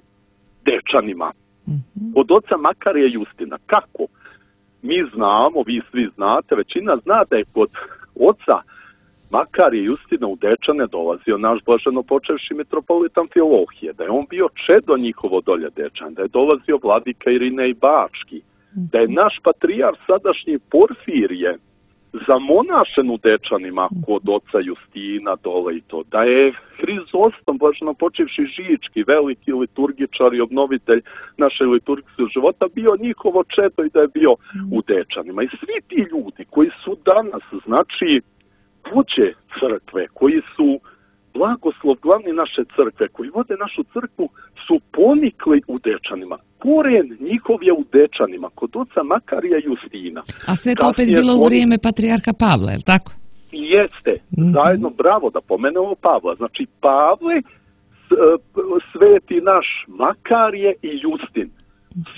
[SPEAKER 4] Dečanima. Mm-hmm. Od oca Makarija Justina. Kako? Mi znamo, vi svi znate, većina zna da je kod oca Makarija Justina u Dečane dolazio naš blaženo počevši mitropolit Amfilohije, da je on bio čedo njihovo dolje Dečan, da je dolazio vladika Irinej Bački, mm-hmm. da je naš patrijarh sadašnji Porfirije zamonašen u Dečanima kod oca Justina dole i to, da je Hrizostom, blaženo počivši Žički, veliki liturgičar i obnovitelj naše liturgijskog života, bio njihovo čedo i da je bio u Dečanima. I svi ti ljudi koji su danas, znači, vođe crkve, koji su blagoslov glavni naše crkve, koji vode našu crkvu, su ponikli u Dečanima. Koren njihov je u Dečanima, kod oca Makarija Justina.
[SPEAKER 3] A sve to opet bilo u vrijeme patrijarha Pavla, je li tako?
[SPEAKER 4] Jeste, mm-hmm. zajedno, bravo da pomenemo Pavla. Znači, Pavle, sveti naš Makarije i Justin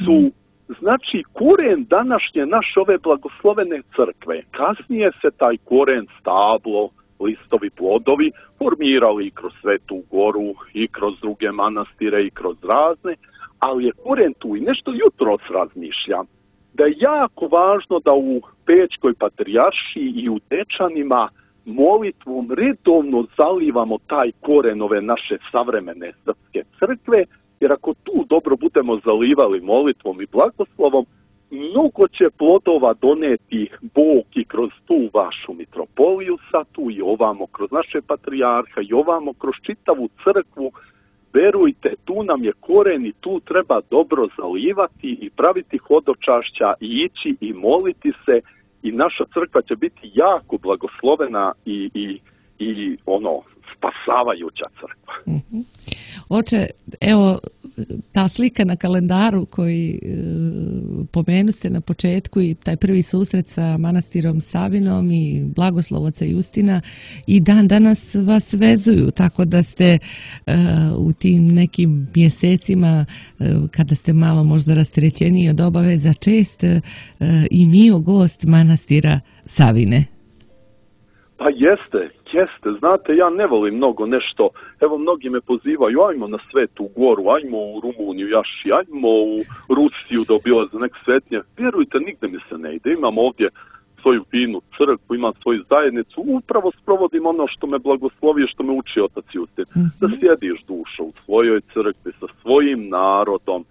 [SPEAKER 4] su, mm-hmm. znači, koren današnje naše ove blagoslovene crkve. Kasnije se taj koren, stablo, listovi, plodovi formirali i kroz Svetu Goru i kroz druge manastire i kroz razne, ali je koren tu i nešto jutros razmišljam, da je jako važno da u Pećkoj patrijaršiji i u Dečanima molitvom redovno zalivamo taj koren ove naše savremene srpske crkve, jer ako tu dobro budemo zalivali molitvom i blagoslovom, mnogo će plodova doneti Bog i kroz tu vašu mitropoliju satu i ovamo kroz naše patrijarha i ovamo kroz čitavu crkvu. Verujte, tu nam je koren i tu treba dobro zalivati i praviti hodočašća i ići i moliti se i naša crkva će biti jako blagoslovena i, i, i ono, spasavajuća crkva.
[SPEAKER 3] Mm-hmm. Oče, evo, ta slika na kalendaru koji e, pomenu ste na početku i taj prvi susret sa manastirom Savinom i blagoslov oca Justina i dan danas vas vezuju, tako da ste e, u tim nekim mjesecima e, kada ste malo možda rasterećeniji od obaveza čest e, i mio gost manastira Savine.
[SPEAKER 4] Pa jeste, jeste. Znate, ja ne volim mnogo nešto. Evo, mnogi me pozivaju, ajmo na Svetu Goru, ajmo u Rumuniju, Jaši, ajmo u Rusiju da obilaze neke svetnje. Vjerujte, nigde mi se ne ide. Imam ovdje svoju finu crkvu, imam svoju zajednicu. Upravo sprovodim ono što me blagoslovi, što me uči otac Justin. Mm-hmm. Da sjediš dušo u svojoj crkvi sa svojim narodom,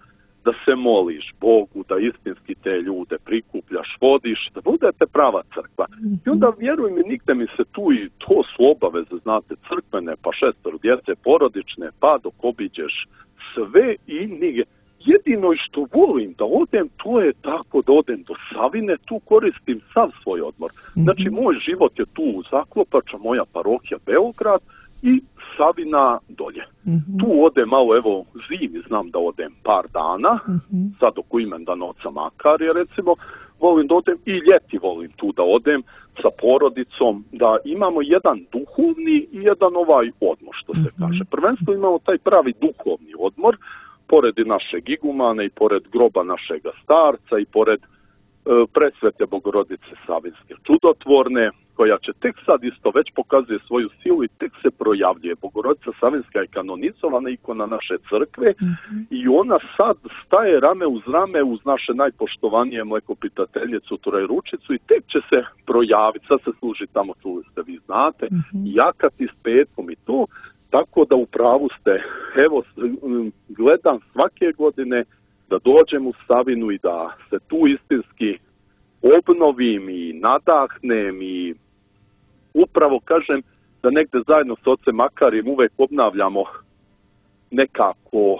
[SPEAKER 4] da se moliš Bogu, da istinski te ljude prikupljaš, vodiš, da budete prava crkva. I onda, vjeruj mi, nigde mi se tu i to su obaveze, znate, crkvene, pa šestoro djece, porodične, pa dok obiđeš sve i nigde. Jedino što volim da odem, to je tako da odem do Savine, tu koristim sav svoj odmor. Znači, moj život je tu u Zaklopača, moja parohija Beograd i Savina dolje. Mm-hmm. Tu odem malo, evo, zimi znam da odem par dana, mm-hmm. sad oko imendana oca Makarija, recimo, volim da odem i ljeti volim tu da odem sa porodicom, da imamo jedan duhovni i jedan ovaj odmor, što se mm-hmm. kaže. Prvenstveno imamo taj pravi duhovni odmor, pored i našeg igumana i pored groba našega starca i pored e, presvete Bogorodice Savinske čudotvorne, koja će tek sad isto već pokazuje svoju silu i tek se projavljuje. Bogorodica Savinska je kanonizovana ikona naše crkve mm-hmm. i ona sad staje rame uz rame uz naše najpoštovanije mlekopitateljicu Turajručicu i tek će se projaviti. Sad se služi tamo, čuli ste, vi znate, mm-hmm. jakati s petkom i to. Tako da u pravu ste, evo, gledam svake godine da dođem u Savinu i da se tu istinski obnovim i nadahnem i upravo kažem da negde zajedno s ocem Makarijem uvek obnavljamo nekako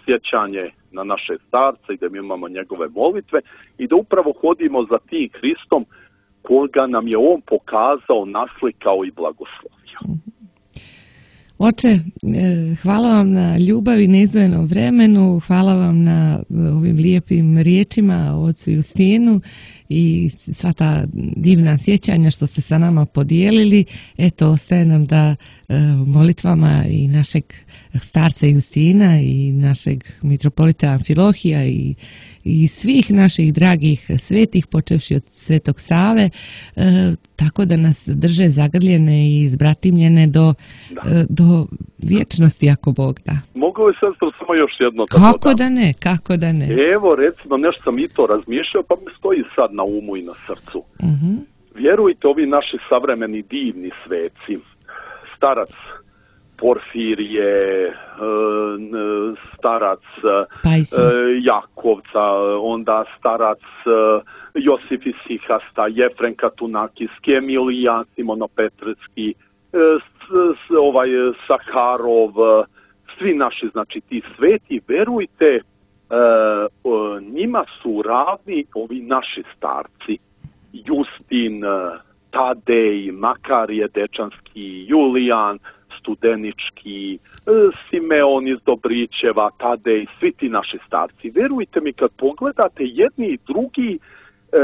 [SPEAKER 4] sjećanje na naše starce i da mi imamo njegove molitve i da upravo hodimo za tim Hristom koga nam je on pokazao, naslikao i blagoslovio.
[SPEAKER 3] Oče, hvala vam na ljubavi, neizdvojenom vremenu, hvala vam na ovim lijepim riječima o ocu Justinu i sva ta divna sjećanja što ste sa nama podijelili. Eto, ostaje nam da molitvama i našeg starca Justina i našeg mitropolita Amfilohija i, i svih naših dragih svetih, počevši od Svetog Save, e, tako da nas drže zagrljene i izbratimljene do, e, do vječnosti, ako Bog da.
[SPEAKER 4] Mogu li sestro samo još jedno?
[SPEAKER 3] Kako da, da ne, kako da ne.
[SPEAKER 4] Evo, recimo, nešto sam i to razmišljao, pa mi stoji sad na umu i na srcu.
[SPEAKER 3] Uh-huh.
[SPEAKER 4] Vjerujte, ovi naši savremeni divni sveci, starac Porfirije, starac Jakovca, onda starac Josif Isihasta, Jefren Katunakis, Emilijan Simonopetrski, ovaj Saharov, svi naši, znači ti sveti, verujte, njima su ravni ovi naši starci, Justin, Tadej, Makarije Dečanski, Julijan Studenički, Simeon iz Dobrićeva, Tadej, svi ti naši starci. Verujte mi, kad pogledate, jedni i drugi e,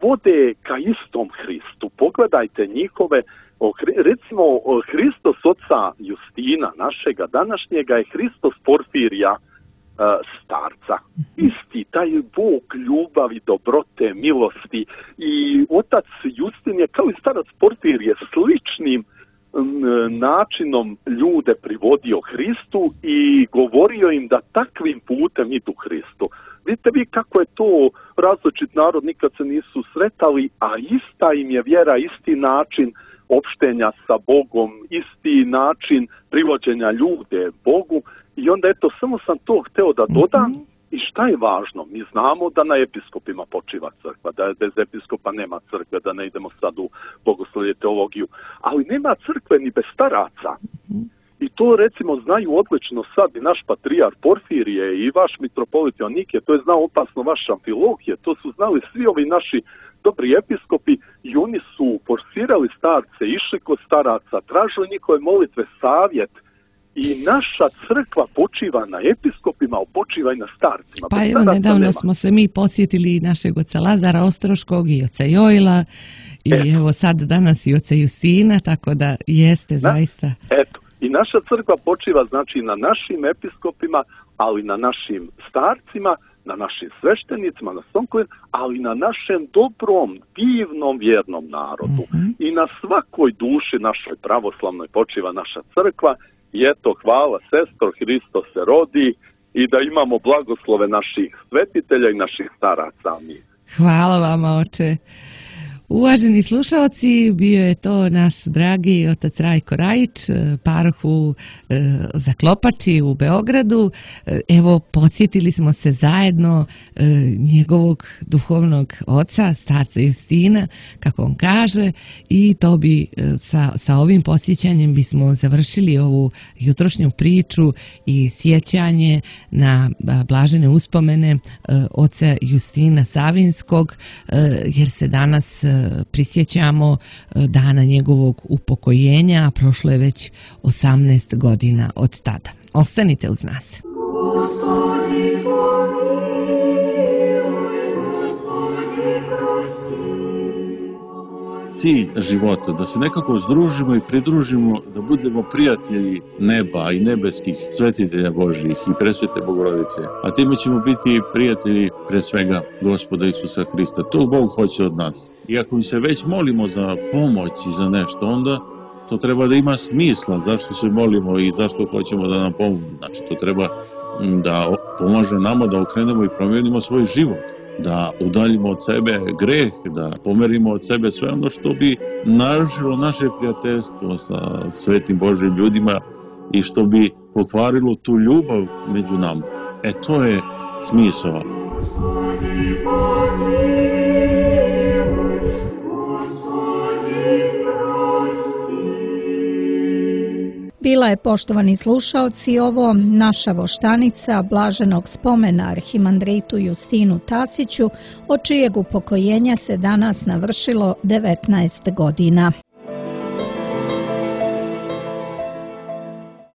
[SPEAKER 4] vode ka istom Hristu. Pogledajte njihove, recimo Hristos oca Justina, našega današnjega, je Hristos Porfirija, starca. Isti taj Bog ljubavi, dobrote, milosti i otac Justin je kao i starac Porfirije sličnim načinom ljude privodio Hristu i govorio im da takvim putem idu Hristu. Vidite vi kako je to različit narod, nikad se nisu sretali, a ista im je vjera, isti način opštenja sa Bogom, isti način privođenja ljude Bogu. I onda eto, samo sam to hteo da dodam. Mm-hmm. I šta je važno? Mi znamo da na episkopima počiva crkva, da bez episkopa nema crkve, da ne idemo sad u bogoslovlje teologiju. Ali nema crkve ni bez staraca. Mm-hmm. I to recimo znaju odlično sad i naš patrijar Porfirije i vaš mitropolit Joannikije, to je znao opasno vaš Amfilohije, to su znali svi ovi naši dobri episkopi i oni su forsirali starce, išli kod staraca, tražili njihove molitve, savjet i naša crkva počiva na episkopima, počiva i na starcima.
[SPEAKER 3] Pa evo, nedavno smo se mi podsjetili našeg oca Lazara Ostroškog i oca Jojla i eto. Evo sad danas i oca Justina, tako da jeste, na, zaista.
[SPEAKER 4] Eto, i naša crkva počiva znači na našim episkopima, ali na našim starcima, na našim sveštenicima, na sonkovima, ali na našem dobrom, divnom, vjernom narodu. Mm-hmm. I na svakoj duši našoj pravoslavnoj počiva naša crkva. I eto, hvala sestro, Hristos se rodi i da imamo blagoslove naših svetitelja i naših staraca.
[SPEAKER 3] Hvala vama, oče. Uvaženi slušalci, bio je to naš dragi otac Rajko Rajić, paroh u e, Zaklopači u Beogradu. Evo, podsjetili smo se zajedno e, njegovog duhovnog oca, starca Justina, kako on kaže, i to bi e, sa, sa ovim podsjećanjem bismo završili ovu jutrošnju priču i sjećanje na a, blažene uspomene e, oca Justina Savinskog, e, jer se danas e, prisjećamo dana njegovog upokojenja, a prošlo je već osamnaest godina od tada. Ostanite uz nas. Gospodi pomiluj, Gospodi prosti.
[SPEAKER 5] Cilj života, da se nekako združimo i pridružimo, da budemo prijatelji neba i nebeskih svetitelja Božjih i presvete Bogorodice. A time ćemo biti prijatelji pre svega Gospoda Isusa Hrista. To Bog hoće od nas. I ako mi se već molimo za pomoć i za nešto, onda to treba da ima smisla zašto se molimo i zašto hoćemo da nam pomogu. Znači, to treba da pomaže nama da okrenemo i promijenimo svoj život, da udaljimo od sebe greh, da pomerimo od sebe sve ono što bi narušilo naše prijateljstvo sa svetim Božjim ljudima i što bi pokvarilo tu ljubav među nama. E, to je smisao.
[SPEAKER 1] Bila je, poštovani slušaoci, ovo naša voštanica blaženog spomena arhimandritu Justinu Tasiću, od čijeg upokojenja se danas navršilo devetnaest godina.